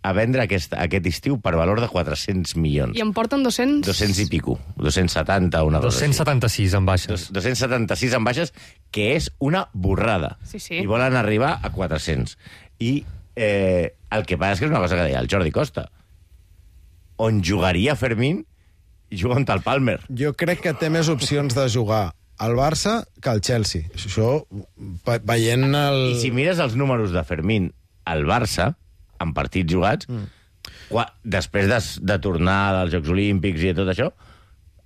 a vendre aquest, aquest estiu per valor de quatre-cents milions. I em porten dos-cents... dos-cents i pico. dos-cents setanta, una cosa dos-cents setanta-sis en baixes. Dos- dos-cents setanta-sis en baixes, que és una borrada. Sí, sí. I volen arribar a quatre-cents. I eh, el que passa és que és una cosa que deia el Jordi Costa. On jugaria Fermín, juga on el Palmer. Jo crec que té més opcions de jugar al Barça que al Chelsea. Això, ve- veient el... I si mires els números de Fermín al Barça, en partits jugats, mm. qua, després de, de tornar dels Jocs Olímpics i tot això,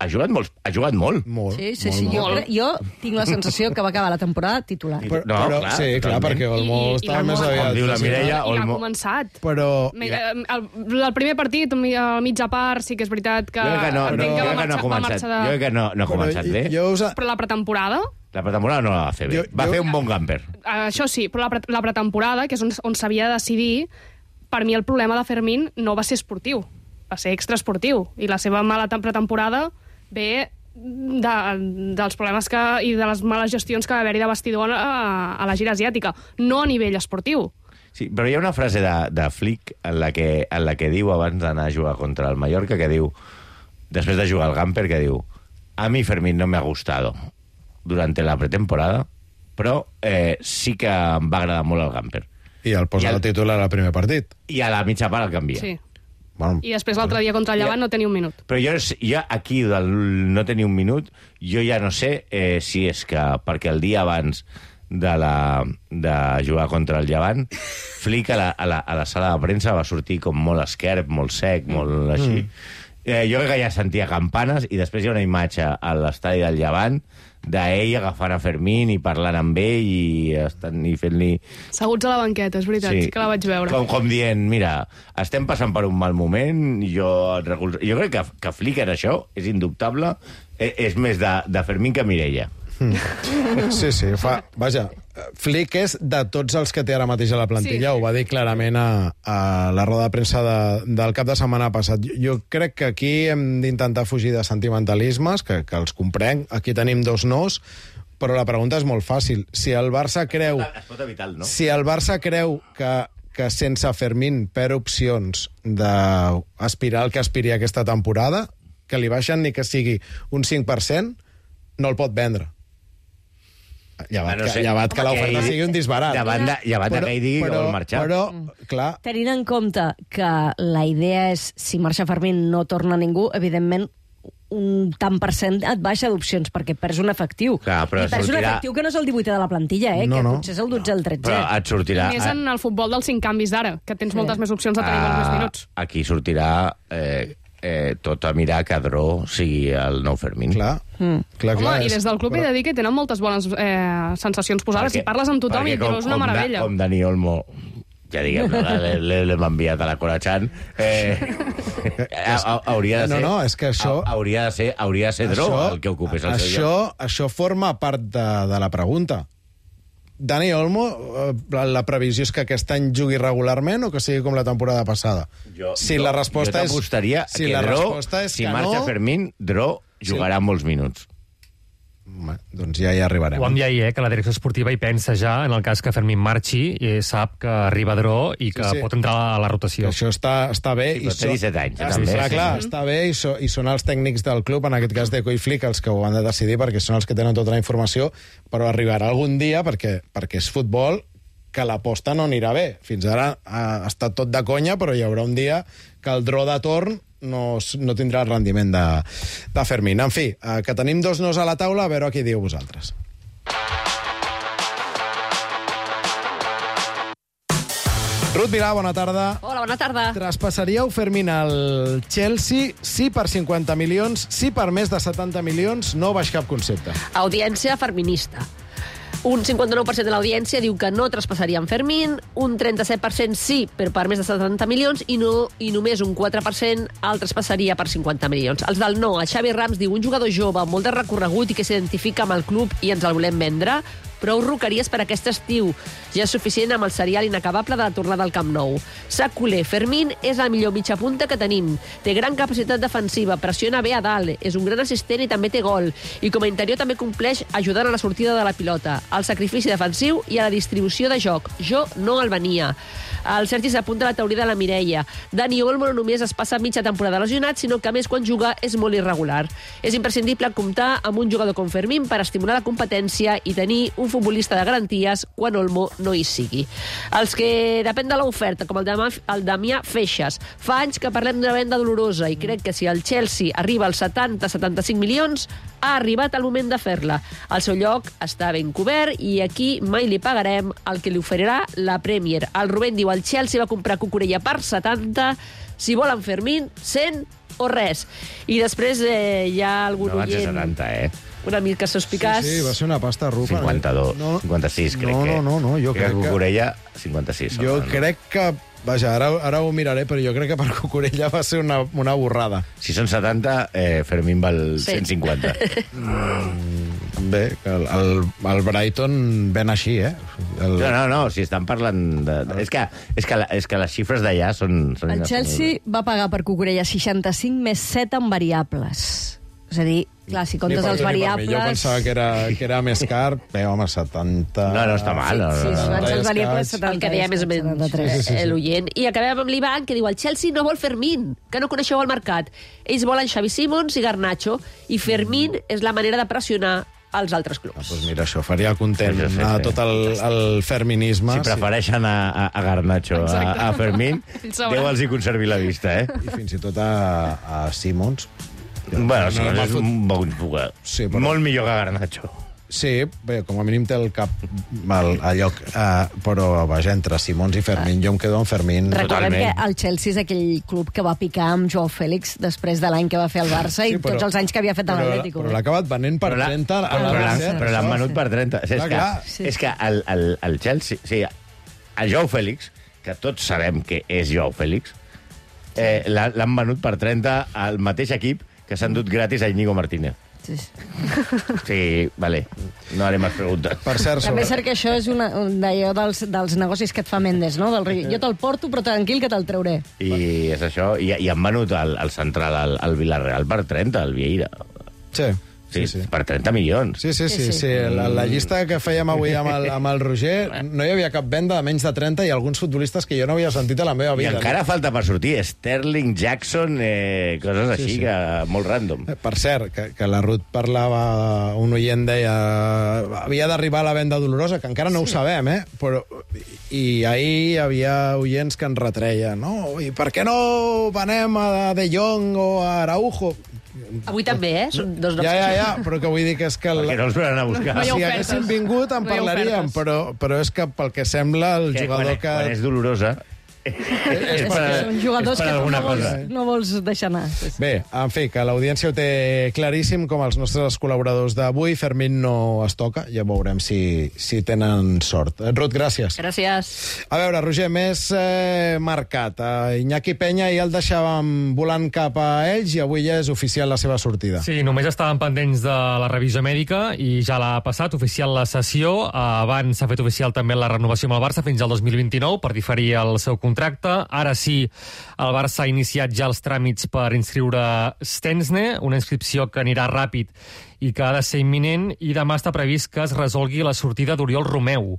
ha jugat molt. Ha jugat molt. Molt, Sí, sí, molt, sí. Jo, molt. cre- jo tinc la sensació que va acabar la temporada titular. I- Però, No, però, clar, sí, clar, totalment. perquè Olmo I- i estava l'Olmo- més com aviat... diu la sí, Mireia, I l'ha Olmo- començat. Però... Mira, el, el primer partit, a mitja part, sí que és veritat que... Jo crec que no, entenc no, que jo va crec que no ha marxar- va començat. marxar de- Jo crec que no, no ha començat bé. jo us... Però la pretemporada, La pretemporada no la va fer bé. Jo- Va jo- fer un bon gamper. això sí, però la, pre la pretemporada, que és on, on s'havia de decidir, per mi el problema de Fermín no va ser esportiu, va ser extraesportiu. I la seva mala tem- pretemporada ve de, dels problemes que, i de les males gestions que va haver-hi de vestidor a, a la gira asiàtica, no a nivell esportiu. Sí, però hi ha una frase de, de Flick en la, que, en la que diu, abans d'anar a jugar contra el Mallorca, que diu, després de jugar al Gamper, que diu, a mi Fermín no me ha gustado durante la pretemporada, però eh, sí que em va agradar molt el Gamper. I el posa I el- el titular al primer partit. I a la mitja part el canvia. Sí. Bueno, I després l'altre dia contra el Llevant no tenia un minut. Però jo, jo aquí, del no tenir un minut, jo ja no sé eh, si és que perquè el dia abans de, la, de jugar contra el Llevant, Flick a la, a, la, a la sala de premsa va sortir com molt esquerp, molt sec, molt així. Eh, jo crec que ja sentia campanes, i després hi ha una imatge a l'estadi del Llevant d'ell agafant a Fermín i parlant amb ell i, estan, i fent-li... Seguts a la banqueta, és veritat, sí, sí que la vaig veure. Com, com dient, mira, estem passant per un mal moment, i jo, et recolzo... jo crec que, que Flick en això és indubtable, és, és més de, de Fermín que Mireia. Sí, sí, fa... Vaja, Flick és de tots els que té ara mateix a la plantilla, Sí. ho va dir clarament a, a la roda de premsa de, del cap de setmana passat. Jo, jo crec que aquí hem d'intentar fugir de sentimentalismes, que, que els comprenc. Aquí tenim dos nos, però la pregunta és molt fàcil. Si el Barça creu... Es pot evitar, no? Si el Barça creu que, que sense Fermín perd opcions d'aspirar al que aspiri aquesta temporada, que li baixen ni que sigui un cinc per cent, no el pot vendre. Llevat, no que, sé. llevat que l'oferta Home, que- sigui un disbarat. Llevat de- llevat de que ell digui que vol marxar. Però, clar, Tenint en compte que la idea és, si marxa Fermín no torna ningú, evidentment un tant per cent et baixa d'opcions, perquè perds un efectiu. Clar, però I perds un sortirà- efectiu que no és el divuitè de la plantilla, eh? No, que no. potser és el dotze o el tretzè. Però et sortirà... Més en el futbol dels cinc canvis d'ara, que tens moltes més opcions de tenir molts més minuts. Ah, aquí sortirà eh, eh, tot a mirar que Dró sigui el nou Fermín. clar, Mm. clar, Home, clar. i des del club he de dir que tenen moltes bones eh, sensacions posades. Si parles amb tothom i perquè és una com, meravella. Com Dani Olmo, ja diguem, l'hem enviat a la Corachan, eh, ha- ha- hauria de No, ser... no, és que això- ha- Hauria de ser, hauria de ser Dró el que ocupés el seu això, lloc. això forma part de, de la pregunta. Dani Olmo, eh, la, la previsió és que aquest any jugui regularment o que sigui com la temporada passada? Jo, si jo, la resposta jo és... t'apostaria si que la Dró, resposta és si que marxa no... Fermín, Dró jugarà molts minuts. Home, doncs ja hi arribarem. Ho vam dir ahir, eh, que la direcció esportiva hi pensa ja en el cas que Fermín marxi i sap que arriba Dró i que Sí, sí. pot entrar a la Que rotació. això està, està bé. Sí, però té disset anys, eh, està, també. Clar, Sí, clar, sí. està bé i, so, i són els tècnics del club, en aquest cas Deco i Flick, els que ho han de decidir perquè són els que tenen tota la informació, però arribarà algun dia, perquè, perquè és futbol, que l'aposta no anirà bé. Fins ara ha estat tot de conya, però hi haurà un dia que el Dró de torn no, s- no tindrà el rendiment de, de Fermín. En fi, eh, que tenim dos nos a la taula, a veure què diu vosaltres. Ruth Vilà, bona tarda. Hola, bona tarda. Traspassaríeu Fermín al Chelsea, sí per cinquanta milions, sí per més de setanta milions, no baix cap concepte. Audiència ferminista. Un cinquanta-nou per cent de l'audiència diu que no traspassarien Fermín, un trenta-set per cent sí, però per més de setanta milions, i, no, i només un quatre per cent el traspassaria per cinquanta milions. Els del no, el Xavi Rams diu un jugador jove amb molt de recorregut i que s'identifica amb el club i ens el volem vendre, prou roqueries per aquest estiu. Ja és suficient amb el serial inacabable de la tornada al Camp Nou. Sac culer, Fermín és el millor mitja punta que tenim. Té gran capacitat defensiva, pressiona bé a dalt, és un gran assistent i també té gol. I com a interior també compleix ajudant a la sortida de la pilota, al sacrifici defensiu i a la distribució de joc. Jo no el venia. El Sergi s'apunta a la teoria de la Mireia. Dani Olmo no només es passa mitja temporada lesionat, sinó que a més quan juga és molt irregular. És imprescindible comptar amb un jugador com Fermín per estimular la competència i tenir un futbolista de garanties quan Olmo no hi sigui. Els que depèn de l'oferta, com el, Damià, el Damià Feixas, fa anys que parlem d'una venda dolorosa i crec que si el Chelsea arriba als setanta a setanta-cinc milions, ha arribat el moment de fer-la. El seu lloc està ben cobert i aquí mai li pagarem el que li oferirà la Premier. El Rubén diu el Chelsea va comprar Cucurella per setanta, si volen Fermín, cent o res. I després eh, hi ha algun No van ser oient setanta, eh? una mica sospicaç. Sí, sí, va ser una pasta rufa. cinquanta-dos, No, cinquanta-sis, crec no, que. no, no, no, jo crec que- Cucurella, cinquanta-sis. Jo home, no? crec que... Vaja, ara, ara ho miraré, però jo crec que per Cucurella va ser una, una borrada. Si són setanta, eh, Fermín val Sí. cent cinquanta. Bé, que el, el, el Brighton ven així, eh? El, No, no, no, si estan parlant de... de... És, que, és, que la, és que les xifres d'allà són... són El Chelsea va pagar per Cucurella seixanta-cinc més set en variables. És a dir, clar, si comptes Ni per els tu ni per mi. variables... Jo pensava que era, que era més car. Bé, home, setanta... No, no està mal. No, Sí, no, sí, no. abans els variables escaig. setanta. El que deia més o menys setanta-tres. sí, sí, sí. l'oient. I acabem amb l'Ivan, que diu el Chelsea no vol Fermín, que no coneixeu el mercat. Ells volen Xavi Simons i Garnacho, i Fermín és la manera de pressionar els altres clubs. Ah, doncs mira, això faria content Sí, sí, sí, a sí. tot el, el ferminisme. Si prefereixen a, a, a Garnacho, a, a Fermín, Ells sabran. Déu els hi conservi la vista, eh? I fins i tot a, a Simons. Bueno, No, sí, no, és no, un bon jugador. Sí, però- Molt millor que Garnacho. Sí, bé, com a mínim té el cap al, a lloc, uh, però vaja, entre Simons i Fermín, jo em quedo amb Fermín. Recordem Totalment. que el Chelsea és aquell club que va picar amb Joao Fèlix després de l'any que va fer el Barça i tots els anys que havia fet a però- l'Atlético. Però l'ha acabat venent per Però la- trenta a però la l'han- Barça. però l'han venut per trenta. És, Clar, que, clar. Sí. és que el, el, el Chelsea... O sigui, el Joao Fèlix, que tots sabem que és Joao Fèlix, eh, l'ha- l'han venut per trenta al mateix equip que s'han dut gratis a Íñigo Martínez. Sí, sí. Sí, vale. No haré més preguntes. Per cert, També sobre... és cert que això és una, un d'allò dels, dels negocis que et fa Mendes, no? Del, jo te'l porto, però tranquil que te'l trauré. I és això. I, i han venut el, el central al, al Villarreal per trenta, el Vieira. Sí. Sí, Sí, sí. per trenta milions. Sí, sí, sí. Sí, sí. sí. La, la llista que fèiem avui amb el, amb el Roger, no hi havia cap venda de menys de trenta i alguns futbolistes que jo no havia sentit a la meva I vida. encara falta per sortir Sterling, Jackson, eh, coses així, Sí, sí. que molt random. Eh, Per cert, que, que la Ruth parlava, un oient deia, havia d'arribar la venda dolorosa, que encara no ho sabem, eh? Però, i ahir hi havia oients que ens retreien, no? I per què no venem a De Jong o a Araujo? Avui també, eh? Són dos noms. Ja, ja, ja, però que vull dir que és que... Perquè no els venen a buscar. No hi ha si ofertes. haguessin vingut en No hi ha parlaríem, ofertes. però, però és que pel que sembla el Que jugador quan, que... quan és dolorosa... És És per- que són jugadors és per que tu alguna no vols, cosa. no vols deixar anar. Sí, sí. Bé, en fi, que l'audiència ho té claríssim, com els nostres col·laboradors d'avui. Fermín no es toca, ja veurem si, si tenen sort. Ruth, gràcies. Gràcies. A veure, Roger, més eh, marcat. Eh, Iñaki Peña ja el deixàvem volant cap a ells i avui ja és oficial la seva sortida. Sí, només estaven pendents de la revisió mèdica i ja l'ha passat, oficial la sessió. Abans s'ha fet oficial també la renovació amb el Barça fins al dos mil vint-i-nou per diferir el seu contracte. Ara sí, el Barça ha iniciat ja els tràmits per inscriure Stensne, una inscripció que anirà ràpid i que ha de ser imminent, i demà està previst que es resolgui la sortida d'Oriol Romeu.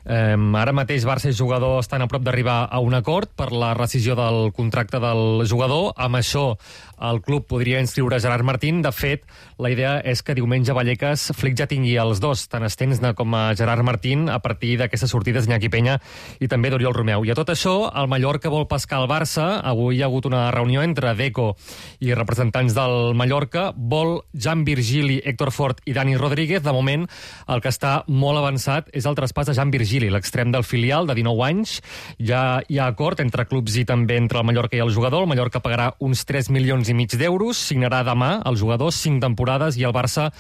Eh, ara mateix Barça i jugador estan a prop d'arribar a un acord per la rescisió del contracte del jugador. Amb això el club podria inscriure Gerard Martín. De fet, la idea és que diumenge Vallecas Flick ja tingui els dos, tant Stensne com a Gerard Martín, a partir d'aquestes sortides d'Iñaki Peña i també d'Oriol Romeu. I a tot això, el Mallorca vol pescar el Barça. Avui hi ha hagut una reunió entre Deco i representants del Mallorca. Vol Jan Virgili, Héctor Fort i Dani Rodríguez. De moment, el que està molt avançat és el traspàs de Jan Virgili, l'extrem del filial, de dinou anys. Ja hi ha acord entre clubs i també entre el Mallorca i el jugador. El Mallorca pagarà uns tres milions i mig d'euros, signarà demà el jugador cinc temporades i el Barça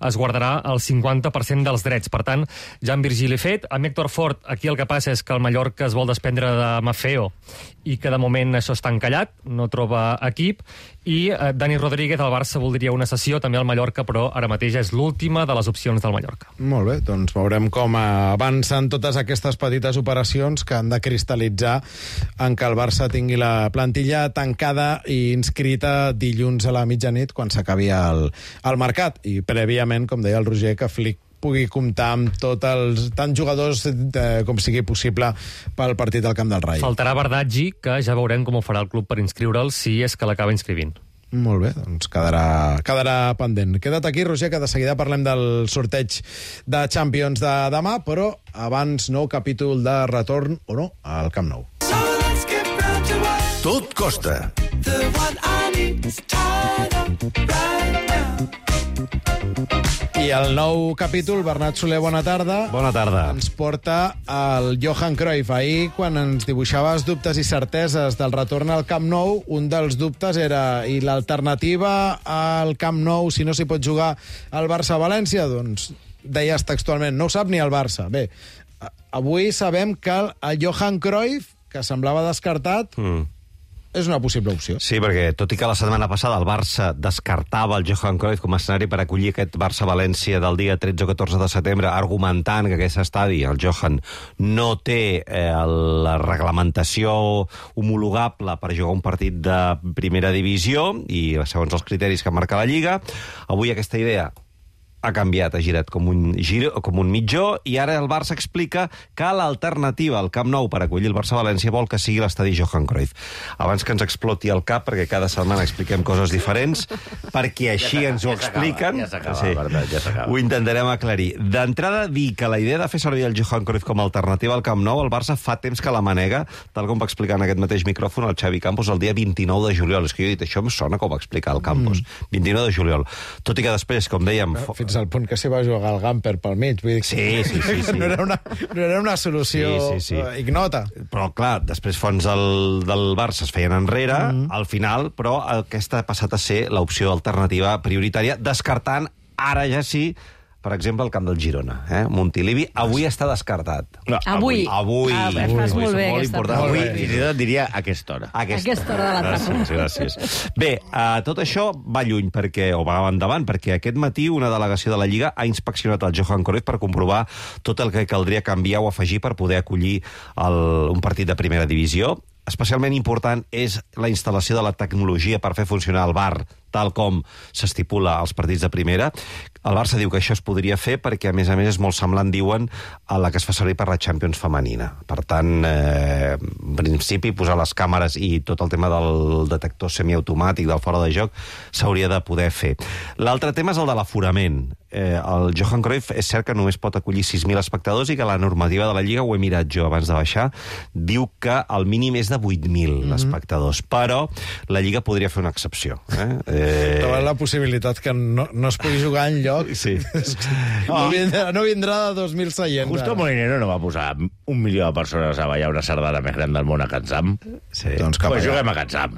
es guardarà el cinquanta per cent dels drets. Per tant, Jan Virgili fet. Amb Héctor Fort, aquí el que passa és que el Mallorca es vol desprendre de Maffeo i que de moment això està encallat, no troba equip, i eh, Dani Rodríguez, el Barça voldria una sessió, també al Mallorca, però ara mateix és l'última de les opcions del Mallorca. Molt bé, doncs veurem com avancen totes aquestes petites operacions que han de cristal·litzar en que el Barça tingui la plantilla tancada i inscrita dilluns a la mitjanit quan s'acabi el, el mercat. I prèviament, com deia el Roger, que Flick pugui comptar amb tots els tants jugadors eh, com sigui possible pel partit al Camp del Rai. Faltarà Bardaggi, que ja veurem com ho farà el club per inscriure'l, si és que l'acaba inscrivint. Molt bé, doncs quedarà, quedarà pendent. Queda't aquí, Roger, que de seguida parlem del sorteig de Champions de demà, però abans nou capítol de retorn, o no, al Camp Nou. Tot costa. I el nou capítol, Bernat Soler, bona tarda. Bona tarda. Ens porta el Johan Cruyff. Ahir, quan ens dibuixaves dubtes i certeses del retorn al Camp Nou, un dels dubtes era i l'alternativa al Camp Nou, si no s'hi pot jugar al Barça-València, doncs deies textualment, no ho sap ni el Barça. Bé, avui sabem que el, el Johan Cruyff, que semblava descartat, mm. és una possible opció. Sí, perquè tot i que la setmana passada el Barça descartava el Johan Cruyff com a escenari per acollir aquest Barça-València del dia tretze o catorze de setembre, argumentant que aquest estadi, el Johan, no té eh, la reglamentació homologable per jugar un partit de primera divisió i segons els criteris que marca la Lliga, avui aquesta idea ha canviat, ha girat com un, gir, com un mitjó, i ara el Barça explica que l'alternativa al Camp Nou per acollir el Barça-València vol que sigui l'estadi Johan Cruyff. Abans que ens exploti el cap, perquè cada setmana expliquem coses diferents, perquè així ja ens ho expliquen. Ja s'acaba, sí. Bernat, ja s'acaba. Ho intentarem aclarir. D'entrada, dir que la idea de fer servir el Johan Cruyff com a alternativa al Camp Nou, el Barça fa temps que la manega, tal com va explicar en aquest mateix micròfon el Xavi Campos el dia vint-i-nou de juliol. És que jo he dit, això em sona com va explicar el Campos. Mm. vint-i-nou de juliol. Tot i que després, com dèiem... Fins al punt que s'hi va jugar el Gamper pel mig. Vull dir que sí, sí, sí, sí. No, era una, no era una solució sí, sí, sí. ignota. Però, clar, després fons del, del Barça es feien enrere, mm-hmm. al final, però aquesta ha passat a ser l'opció alternativa prioritària, descartant ara ja sí per exemple, el camp del Girona. Eh? Montilivi avui està descartat. No, Avui. Avui. Ah, fas avui. molt bé Molt aquesta important. part. Avui, Avui, fins i tot diria a aquesta hora. a aquesta, Aquesta hora de la tarda. Gràcies, gràcies. Bé, uh, tot això va lluny, perquè, o va endavant, perquè aquest matí una delegació de la Lliga ha inspeccionat el Johan Cruyff per comprovar tot el que caldria canviar o afegir per poder acollir el, un partit de primera divisió. Especialment important és la instal·lació de la tecnologia per fer funcionar el V A R, tal com s'estipula als partits de primera. El Barça diu que això es podria fer perquè, a més a més, és molt semblant, diuen, a la que es fa servir per la Champions femenina. Per tant, eh, en principi, posar les càmeres i tot el tema del detector semiautomàtic del fora de joc s'hauria de poder fer. L'altre tema és el de l'aforament. Eh, el Johan Cruyff és cert que només pot acollir sis mil espectadors i que la normativa de la Lliga, ho he mirat jo abans de baixar, diu que el mínim és de vuit mil mm-hmm. espectadors. Però la Lliga podria fer una excepció. Eh? Eh... Trobar la possibilitat que no, no es pugui jugar en lloc. Sí. No vindrà, no vindrà de dos mil seients. Justo ara. Molinero no va posar un milió de persones a ballar una sardana més gran del món a Catzam. Sí. Doncs cap Pues allà. juguem a Catzam.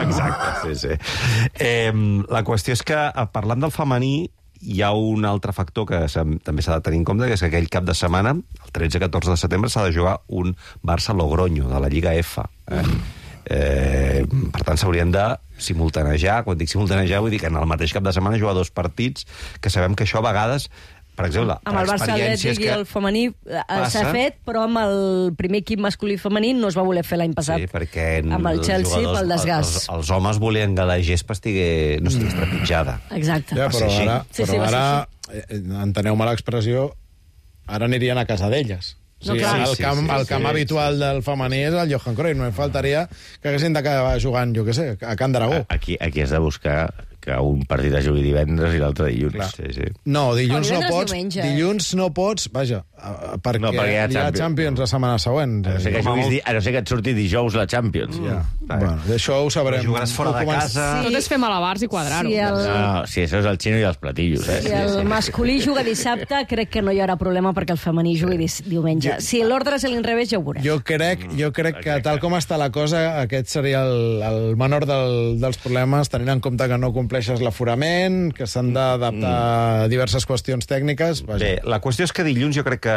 Exacte, sí, sí. Eh, la qüestió és que, parlant del femení, hi ha un altre factor que també s'ha de tenir en compte, que és que aquell cap de setmana, el tretze catorze de setembre, s'ha de jugar un Barça-Logroño, de la Lliga F. Eh? Eh, per tant, s'haurien de simultanejar. Quan dic simultanejar, vull dir que en el mateix cap de setmana jugar dos partits, que sabem que això a vegades, per exemple, Amb el Barça Atlètic i el femení s'ha fet, però amb el primer equip masculí i femení no es va voler fer l'any passat. Sí, perquè amb el Chelsea pel desgast. Els, els homes volien que la gespa estigui, no estigui trepitjada. Exacte. Ja, però així. ara, Sí, sí, però va ser ara eh, enteneu-me l'expressió, ara anirien a casa d'elles. O No, sigui, clar. el Sí, camp, sí, el sí, camp sí, habitual del femení és el Johan Cruyff. No em faltaria que haguessin d'acabar jugant, jo què sé, a Can d'Aragó. Aquí, aquí has de buscar que un partit es jugui divendres i l'altre dilluns. Clar. Sí, sí. No, dilluns O no divendres, pots. diumenge. Dilluns no pots, vaja, eh, perquè, No, perquè hi ha hi ha Champions. Champions la setmana següent. A no ser que, Eh, juguis, di- a no ser que et surti dijous la Champions. Ja. Bueno, això ho sabrem. Però jugaràs fora Ho de començ- casa. Sí. Tot és fer malabars i quadrar-ho. Si el, No, si això és el xino i els platillos, eh? si el masculí juga dissabte, crec que no hi haurà problema perquè el femení jugui dis- diumenge. Si l'ordre és a l'inrevés, ja ho veurem. Jo crec, jo crec que, tal com està la cosa, aquest seria el, el menor del, dels problemes, tenint en compte que no compleixes l'aforament, que s'han d'adaptar a diverses qüestions tècniques. Vaja. Bé, la qüestió és que dilluns jo crec que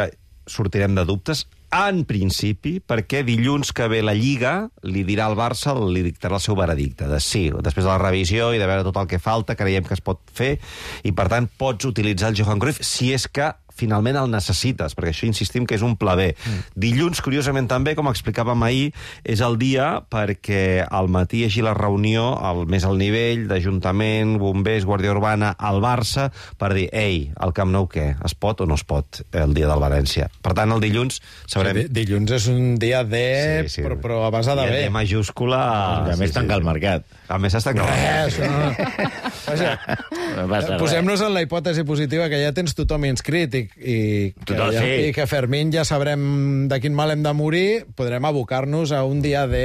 sortirem de dubtes, en principi, perquè dilluns que ve la Lliga li dirà al Barça, li dictarà el seu veredicte, de sí, després de la revisió i de veure tot el que falta, creiem que es pot fer, i per tant pots utilitzar el Johan Cruyff si és que finalment el necessites, perquè això insistim que és un pla B. Mm. Dilluns, curiosament també, com explicàvem ahir, és el dia perquè al matí hi hagi la reunió al més al nivell d'Ajuntament, Bombers, Guàrdia Urbana, al Barça, per dir, ei, el Camp Nou què? Es pot o no es pot el dia del València? Per tant, el dilluns sabrem... Sí, dilluns és un dia D, sí, sí. Però, però a base de I B. D majúscula... I a més tanca el mercat. A més es tanca el Res, mercat. no. Vaja, No passa res. posem-nos en la hipòtesi positiva que ja tens tothom inscrit i, i, que, Total, ja, sí. i que Fermín ja sabrem de quin mal hem de morir, podrem abocar-nos a un dia D...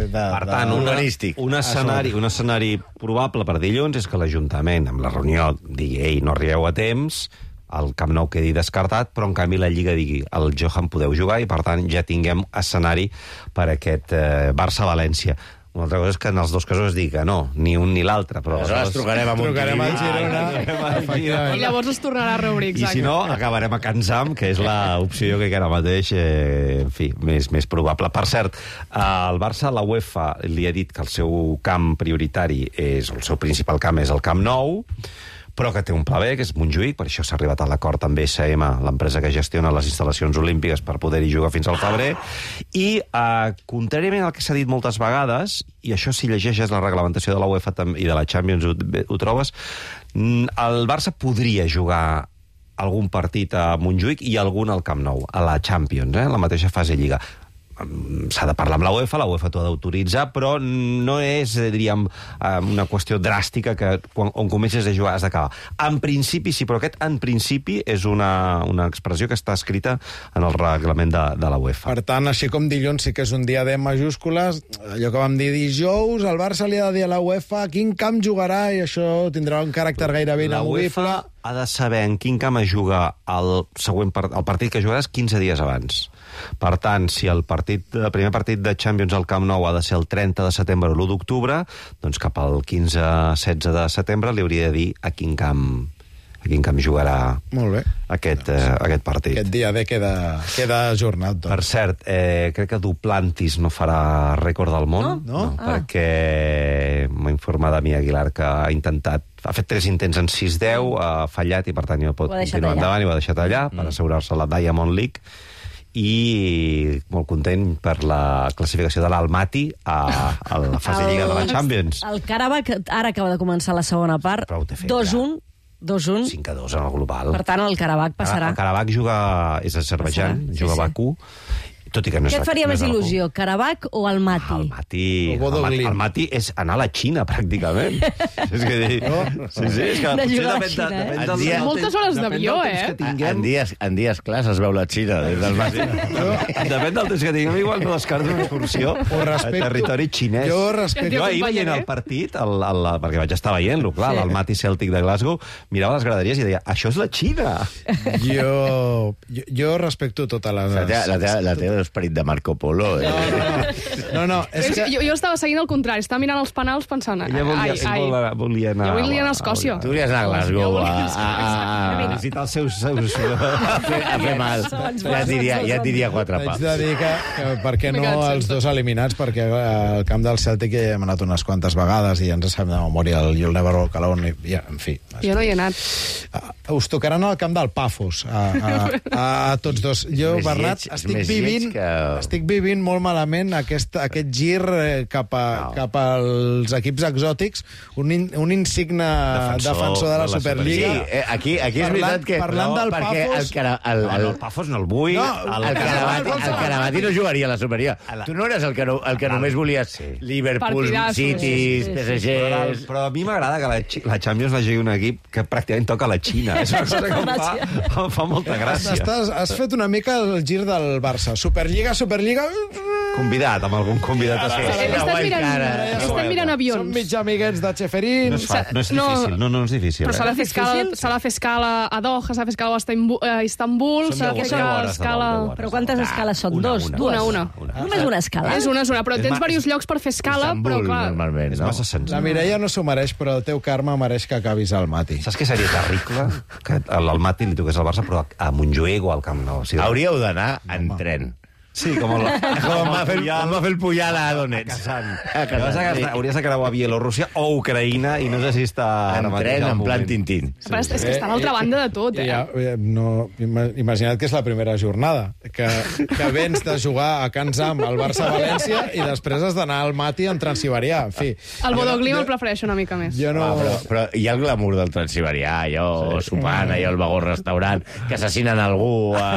De, Per tant, de, una, urbanístic. un, escenari, un escenari probable per dilluns és que l'Ajuntament, amb la reunió, digui, ei, no arribeu a temps, el Camp Nou quedi descartat, però en canvi la Lliga digui, el Johan podeu jugar, i per tant ja tinguem escenari per aquest eh, Barça-València. Una altra cosa és que en els dos casos es digui que no, ni un ni l'altre. Però Aleshores trucarem a Trucarem al Montilivi. Girona. trucarem al I Efectivament. llavors es tornarà a reobrir, I exacte. si no, acabarem a Can Zam, que és l'opció jo crec que ara mateix, eh, en fi, més, més probable. Per cert, el Barça, la UEFA, li ha dit que el seu camp prioritari, és el seu principal camp és el Camp Nou, però que té un pla B, que és Montjuïc, per això s'ha arribat a l'acord amb B S M, l'empresa que gestiona les instal·lacions olímpiques, per poder-hi jugar fins al febrer. I, eh, contràriament al que s'ha dit moltes vegades, i això si llegeixes la reglamentació de la UEFA tam- i de la Champions ho, ho trobes, mm, el Barça podria jugar algun partit a Montjuïc i algun al Camp Nou, a la Champions, eh, la mateixa fase Lliga. S'ha de parlar amb la UEFA, la UEFA t'ho ha d'autoritzar, però no és, diríem, una qüestió dràstica que quan, on comences a jugar has d'acabar. En principi sí, però aquest en principi és una, una expressió que està escrita en el reglament de, de la UEFA. Per tant, així com dilluns sí que és un dia D en majúscules, allò que vam dir dijous, el Barça li ha de dir a la UEFA quin camp jugarà, i això tindrà un caràcter gairebé La inamovible. UEFA ha de saber en quin camp es juga el, següent part, el partit que jugaràs quinze dies abans. Per tant, si el, partit, el primer partit de Champions al Camp Nou ha de ser el trenta de setembre o l'u d'octubre, doncs cap al quinze setze de setembre li hauria de dir a quin camp a quin camp jugarà Molt bé. aquest, eh, aquest partit. Aquest dia D queda, queda ajornat. Doncs. Per cert, eh, crec que Duplantis no farà rècord del món, No? No? no perquè m'ha informat Dami Aguilar que ha intentat, ha fet tres intents en sis deu, ha fallat i per tant no pot Ho ha deixat continuar allà. endavant i ho ha deixat allà per assegurar-se la Diamond League, i molt content per la classificació de l'Almaty a, a la fase lliga de la Champions. El Karabakh ara acaba de començar la segona part. Però ho té fet dos ja. un. dos un. cinc a dos en el global. Per tant, el Karabakh passarà. El Karabakh juga, és Azerbaijan, Passarà, sí, juga a sí. Bakú, tot i que no és... Què et faria no més és a Bakú. il·lusió, Karabakh o el Mati? El Mati, O Bodo el Mati, Glimt. el Mati és anar a la Xina, pràcticament. és que dir... No? Sí, sí, és que De potser jugar a la depèn, Xina, de, eh? depèn En del... dia- Moltes hores depèn d'avió, del temps eh? que tinguem. En dies, en dies clars es veu la Xina des del matí. Depèn del temps que tinguem, igual no descarto una excursió respecto- a territori xinès. Jo respecto- Jo ahir Jo veient el acompanyaré. partit, el, el, perquè vaig estar veient-lo, clar, Sí. el Mati Celtic de Glasgow, mirava les graderies i deia, això és la Xina. Jo, jo, jo respecto tota la... La teva, la teva, la teva esperit de Marco Polo. Eh? No, no, no, no, és És, que... jo, jo estava seguint el contrari, estava mirant els penals pensant... Ella volia, ai, ai. volia, volia anar... Jo volia anar a Escòcia. Tu volies anar a Glasgow a, a, a, A visitar els seus... seus... a, fer, a fer mal. Ja et diria, ja et diria quatre Haig paps. de dir que, que per què no M'he quedat els sense. dos eliminats, perquè al camp del Celtic ja hi hem anat unes quantes vegades i ja ens sabem de memòria el You'll Never Walk Alone, i, ja, en fi. Jo no hi he anat. Uh, us tocaran al camp del Pafos, a, a, a, a tots dos. Jo, Més Bernat, lleig- estic més vivint, lleig que- estic vivint molt malament aquest, aquest gir eh, cap, a, No. cap als equips exòtics, un, in, un insigne defensor, defensor de la Superliga. Sí, eh, aquí, aquí és Parlant- veritat que... parlant del perquè Pafos- el, cara, el, El, el, el Pafos no el vull. No, el, el, Caravati, el Caravati no jugaria a la Superior. Tu no eres el que, no, el que només volies Liverpool, Partidassos. Cities, P S Però, Gs... però a mi m'agrada que la, Xi- la Champions vagi un equip que pràcticament toca la Xina. És una cosa que em fa, em fa molta gràcia. Estàs, has fet una mica el gir del Barça. Superliga, Superliga... Convidat, amb algun convidat a He ser. he estat mirant, cara. he estat mirant Som avions. mig amiguets de Cheferín. No és, fa, no és No, difícil, no, no és difícil. Però s'ha de Eh? fer escala, s'ha de fer escala a Doha, s'ha de fer escala a Istanbul, a Istanbul Són s'ha de deu- fer deu escala... hores de escala... vol, deu hores. Però quantes escales són? Una, Dos? una. Dues? Una, una. Només una escala? És una, és una, però És tens ma- diversos llocs per fer escala, però Istanbul, clar... normalment, És no? massa senzill. La Mireia no s'ho mereix, però el teu karma mereix que acabis al Mati. Saps què seria terrible? Que al Mati li toqués al Barça, però a Montjuïc o al Camp Nou. O sigui, Hauríeu d'anar en tren. Sí, com el... Com va fer, com va fer el Puyal a Donetsk. Kazan. A Llavors, Kazan, sí. hauries de creuar Bielorússia o Ucraïna i no sé si està... ara En mateix tren, al en plan moment. Tintín. Però és, és que està a l'altra banda de tot, eh? Ja, eh, no, ima- imagina't que és la primera jornada, que, que vens de jugar a Can Zam al Barça-València i després has d'anar al Mati en Transsiberià. En fi, El Bodoglim jo- el prefereixo una mica més. jo no... Ah, però, però hi ha el glamour del Transsiberià, allò sí. sopant, allò al vagó restaurant, que assassinen algú a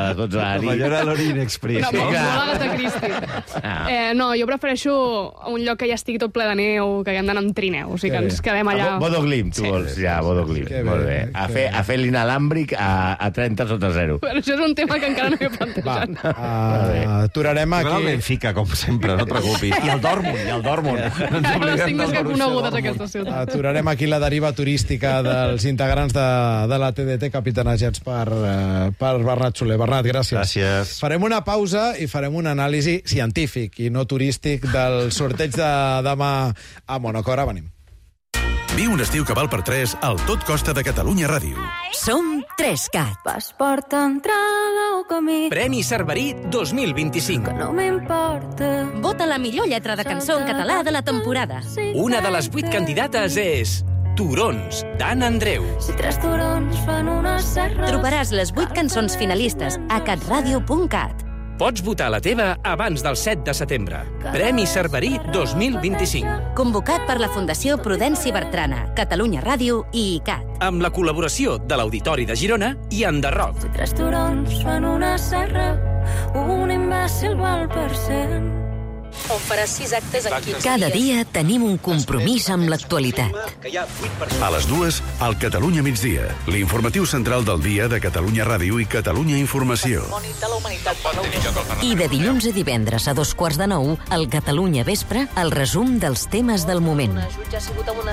les dotze de la Com allò nit. era l'Orient Express. Una Sí, molt clar. Agatha Christie. Ah. Eh, no, jo prefereixo un lloc que ja estigui tot ple de neu, que haguem d'anar amb trineu, o sigui que Que ens bé. quedem allà... A Bodoglim, tu vols, ja, Bodoglim. Que bé, Molt bé. A que fer, bé. a fer l'inalàmbric a, a trenta sota zero. Però això és un tema que encara no he Va, plantejat. uh, aturarem Aquí... El aquí... Benfica, com sempre, no et preocupis. I el Dortmund, i el Dortmund. No ens No les oblidem tinc més del que Borussia conegudes, Dortmund. aquesta ciutat. Aturarem aquí la deriva turística dels integrants de, de la T D T capitanejats per, uh, per Bernat Soler. Bernat, gràcies. Gràcies. Farem una pausa i farem un anàlisi científic i no turístic del sorteig de demà a Monaco. Ara venim. Viu un estiu que val per tres al Tot Costa de Catalunya Ràdio. Som Trescat. Passport, entrada o camí. Premi Cerverí dos mil vint-i-cinc. No m'importa. Vota la millor lletra de cançó en català de la temporada. Una de les vuit candidates és Turons, d'Anna Andreu. Si tres turons fan una serra... Trobaràs les vuit cançons finalistes a catradio punt cat. Pots votar la teva abans del set de setembre. Premi Cerverí dos mil vint-i-cinc. Convocat per la Fundació Prudenci Bertrana, Catalunya Ràdio i I C A T. Amb la col·laboració de l'Auditori de Girona i Enderroc. Si tres turons fan una serra, un imbècil val per cent. On faràs sis actes en quinze Cada dia tenim un compromís amb l'actualitat. A les dues, al Catalunya migdia, l'informatiu central del dia de Catalunya Ràdio i Catalunya Informació. I de dilluns a divendres a dos quarts de nou, al Catalunya Vespre, el resum dels temes del moment.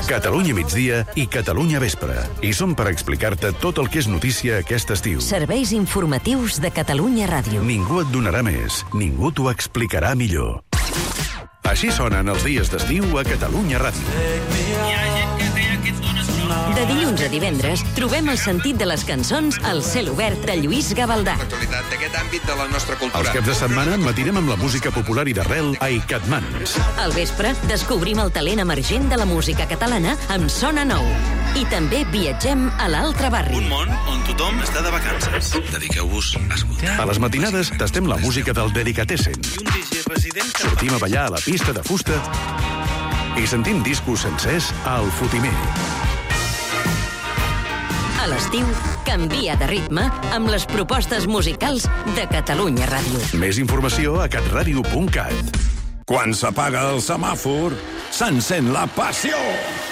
Catalunya migdia i Catalunya vespre. I som per explicar-te tot el que és notícia aquest estiu. Serveis informatius de Catalunya Ràdio. Ningú et donarà més, ningú t'ho explicarà millor. Així sonen els dies d'estiu a Catalunya Ràdio. Hi ha gent que té aquests dones De dilluns a divendres trobem el sentit de les cançons al cel obert de Lluís Gavaldà. L'actualitat d'aquest àmbit de la nostra cultura. Els caps de setmana matinem amb la música popular i d'arrel a Icatmans. Al vespre descobrim el talent emergent de la música catalana amb Sona Nou. I també viatgem a l'altre barri. Un món on tothom està de vacances. Dediqueu-vos a escoltar. A les matinades tastem la música del Delicatessen. Sortim a ballar a la pista de fusta i sentim discos sencers al Fotimer. A l'estiu, canvia de ritme amb les propostes musicals de Catalunya Ràdio. Més informació a catradio punt cat. Quan s'apaga el semàfor, s'encén la passió.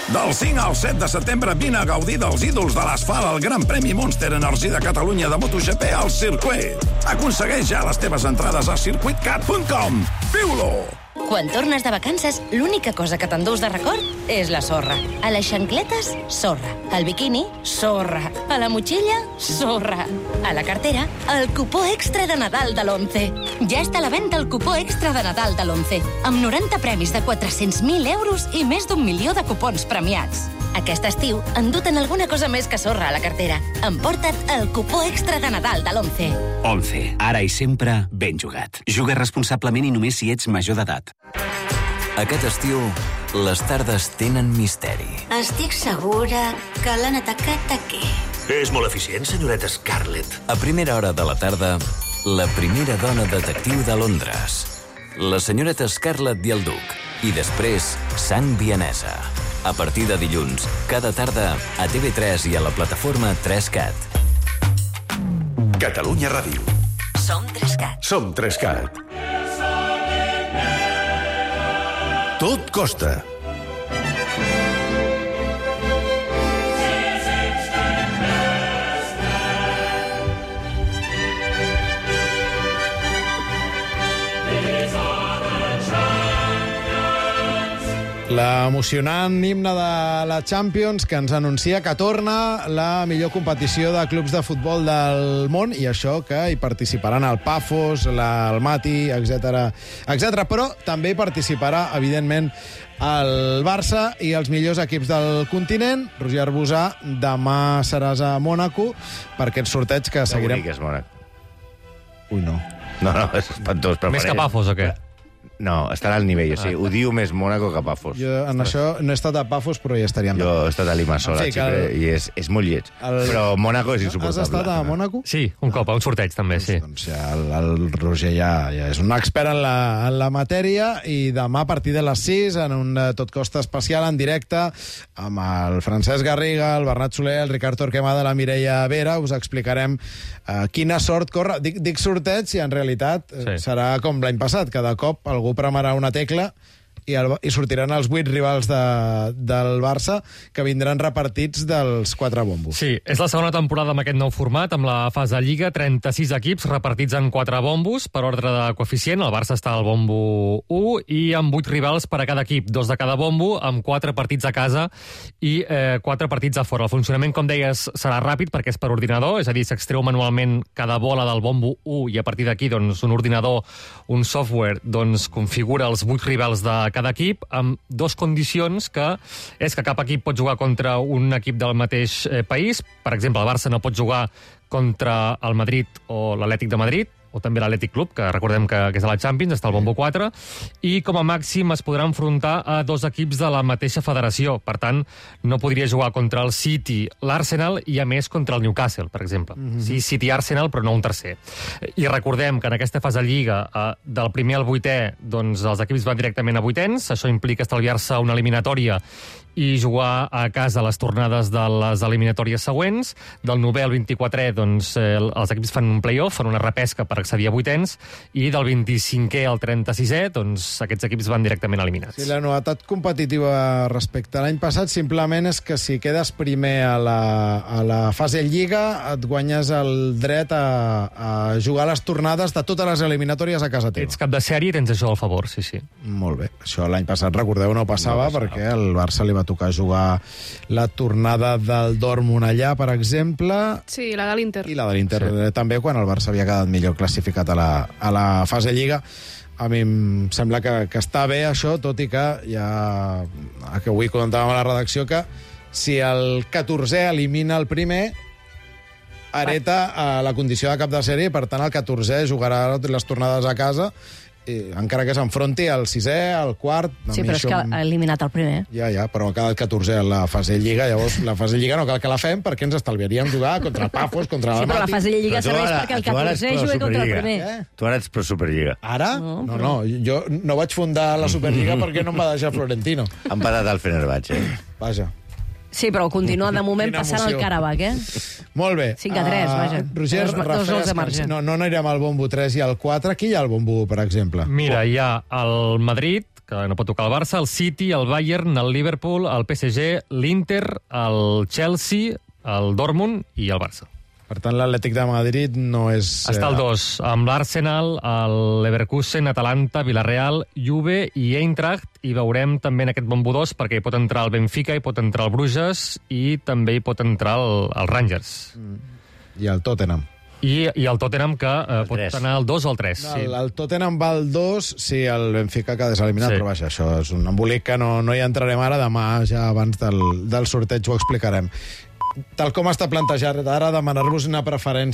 Del cinc al set de setembre vine a gaudir dels ídols de l'asfalt al Gran Premi Monster Energy de Catalunya de MotoGP al circuit. Aconsegueix ja les teves entrades a circuit cat punt com. Viu-lo! Quan tornes de vacances, l'única cosa que t'endús de record és la sorra. A les xancletes, sorra. Al biquini, sorra. A la motxilla, sorra. A la cartera, el cupó extra de Nadal de l'Once. Ja està a la venda el cupó extra de Nadal de l'Once, amb noranta premis de quatre-cents mil euros i més d'un milió de cupons premiats. Aquest estiu, endut-en alguna cosa més que sorra a la cartera. Emporta't el cupó extra de Nadal de l'Once. Once, ara i sempre ben jugat. Juga responsablement i només si ets major d'edat. Aquest estiu, les tardes tenen misteri. Estic segura que l'han atacat aquí. És molt eficient, senyoreta Scarlett. A primera hora de la tarda, la primera dona detectiu de Londres. La senyoreta Scarlett i el duc. I després, sang vienesa. A partir de dilluns, cada tarda, a T V tres i a la plataforma tres cat. Catalunya Ràdio. Som tres cat. Som tres cat. Tot costa. L'emocionant himne de la Champions que ens anuncia que torna la millor competició de clubs de futbol del món, i això que hi participaran el Pafos, la, el Mati, etcètera, etcètera. Però també hi participarà, evidentment, el Barça i els millors equips del continent. Roger Arbusà, demà seràs a Mònaco per aquest sorteig que seguirem... Que bonic és Mònaco. Ui, no. No, no, és espantós. Però Més que Pafos, o què? No, estarà al nivell. O sigui, ho diu més Mònaco que Pafos. Jo en això no he estat a Pafos, però ja estaríem... Jo he estat a Limassol, en fi, el... i és, és molt lleig. El... Però Mònaco és insuportable. Has estat a Mònaco? Sí, un cop, a un sorteig també, sí. Doncs ja el, el Roger ja, ja és un expert en la, en la matèria, i demà a partir de les sis, en un Tot Costa especial en directe, amb el Francesc Garriga, el Bernat Soler, el Ricard Torquemada, la Mireia Vera, us explicarem uh, quina sort corre. Dic, dic sorteig i en realitat sí. serà com l'any passat. Cada cop algú premarà una tecla i, el, i sortiran els vuit rivals de, del Barça, que vindran repartits dels quatre bombos. Sí, és la segona temporada amb aquest nou format, amb la fase de Lliga, trenta-sis equips repartits en quatre bombos per ordre de coeficient. El Barça està al bombo u i amb vuit rivals per a cada equip, dos de cada bombo, amb quatre partits a casa i eh, quatre partits a fora. El funcionament, com deies, serà ràpid perquè és per ordinador, és a dir, s'extreu manualment cada bola del bombo u i a partir d'aquí doncs, un ordinador, un software, doncs, configura els vuit rivals de cada equip, amb dos condicions, que és que cap equip pot jugar contra un equip del mateix eh, país. Per exemple, el Barça no pot jugar contra el Madrid o l'Atlètic de Madrid, o també l'Atlètic Club, que recordem que, que és a la Champions, està al bombo quatre, i com a màxim es podrà enfrontar a dos equips de la mateixa federació. Per tant, no podria jugar contra el City, l'Arsenal, i a més contra el Newcastle, per exemple. Mm-hmm. Sí, City-Arsenal, però no un tercer. I recordem que en aquesta fase de Lliga, eh, del primer al vuitè, doncs els equips van directament a vuitens. Això implica estalviar-se una eliminatòria i jugar a casa les tornades de les eliminatòries següents. Del novè al vint-i-quatrè, doncs, eh, els equips fan un play-off, fan una repesca per accedir a vuitens, i del vint-i-cinquè al trenta-sisè, doncs, aquests equips van directament eliminats. Sí, la novetat competitiva respecte a l'any passat simplement és que si quedes primer a la, a la fase Lliga, et guanyes el dret a, a jugar les tornades de totes les eliminatòries a casa teva. Ets cap de sèrie i tens això al favor, sí, sí. Molt bé. Això l'any passat, recordeu, no passava, no passava, perquè el Barça li va tocar jugar la tornada del Dortmund allà, per exemple. Sí, la de l'Inter. I la de l'Inter sí. també, quan el Barça havia quedat millor classificat a la, a la fase Lliga. A mi em sembla que, que està bé això, tot i que ja que avui comentàvem a la redacció que si el catorzè elimina el primer, hereta a la condició de cap de sèrie, i per tant el catorzè jugarà les tornades a casa, i, encara que s'enfronti al sisè, al quart... Sí, però és que ha eliminat el primer. Ja, ja, però ha quedat catorzè a la fase Lliga, llavors la fase Lliga no cal que la fem perquè ens estalviaríem jugar contra el Pafos, contra Sí, el però la Mati. fase Lliga serveix perquè el catorzè jugui contra el primer. Eh? Tu ara ets pro Superliga. Ara? No, no, no, jo no vaig fundar la Superliga perquè no em va deixar Florentino. Han parat el Fenerbahçe. Vaja. Sí, però continua de moment Quina passant emoció. el Karabakh, eh? Molt bé. cinc a tres, Ah, vaja. Roger, Dos- dos Rafael gols de marge. Escarci. No, no anirem al bombo tres i al quatre. Qui hi ha al bombo, per exemple? Mira, hi ha el Madrid, que no pot tocar el Barça, el City, el Bayern, el Liverpool, el P S G, l'Inter, el Chelsea, el Dortmund i el Barça. Per tant, l'Atlètic de Madrid no és... Està el eh, dos, amb l'Arsenal, el Leverkusen, Atalanta, Villarreal, Juve i Eintracht, i veurem també en aquest bombo dos, perquè hi pot entrar el Benfica, hi pot entrar el Bruges, i també hi pot entrar el, el Rangers. I el Tottenham. I, i el Tottenham, que eh, pot anar al dos o al tres. No, el, el Tottenham va al dos, sí, el Benfica queda deseliminat, Sí. però vaja, això és un embolic que no, no hi entrarem ara, demà ja abans del, del sorteig ho explicarem. Tal com està plantejat, ara demanar-vos una preferència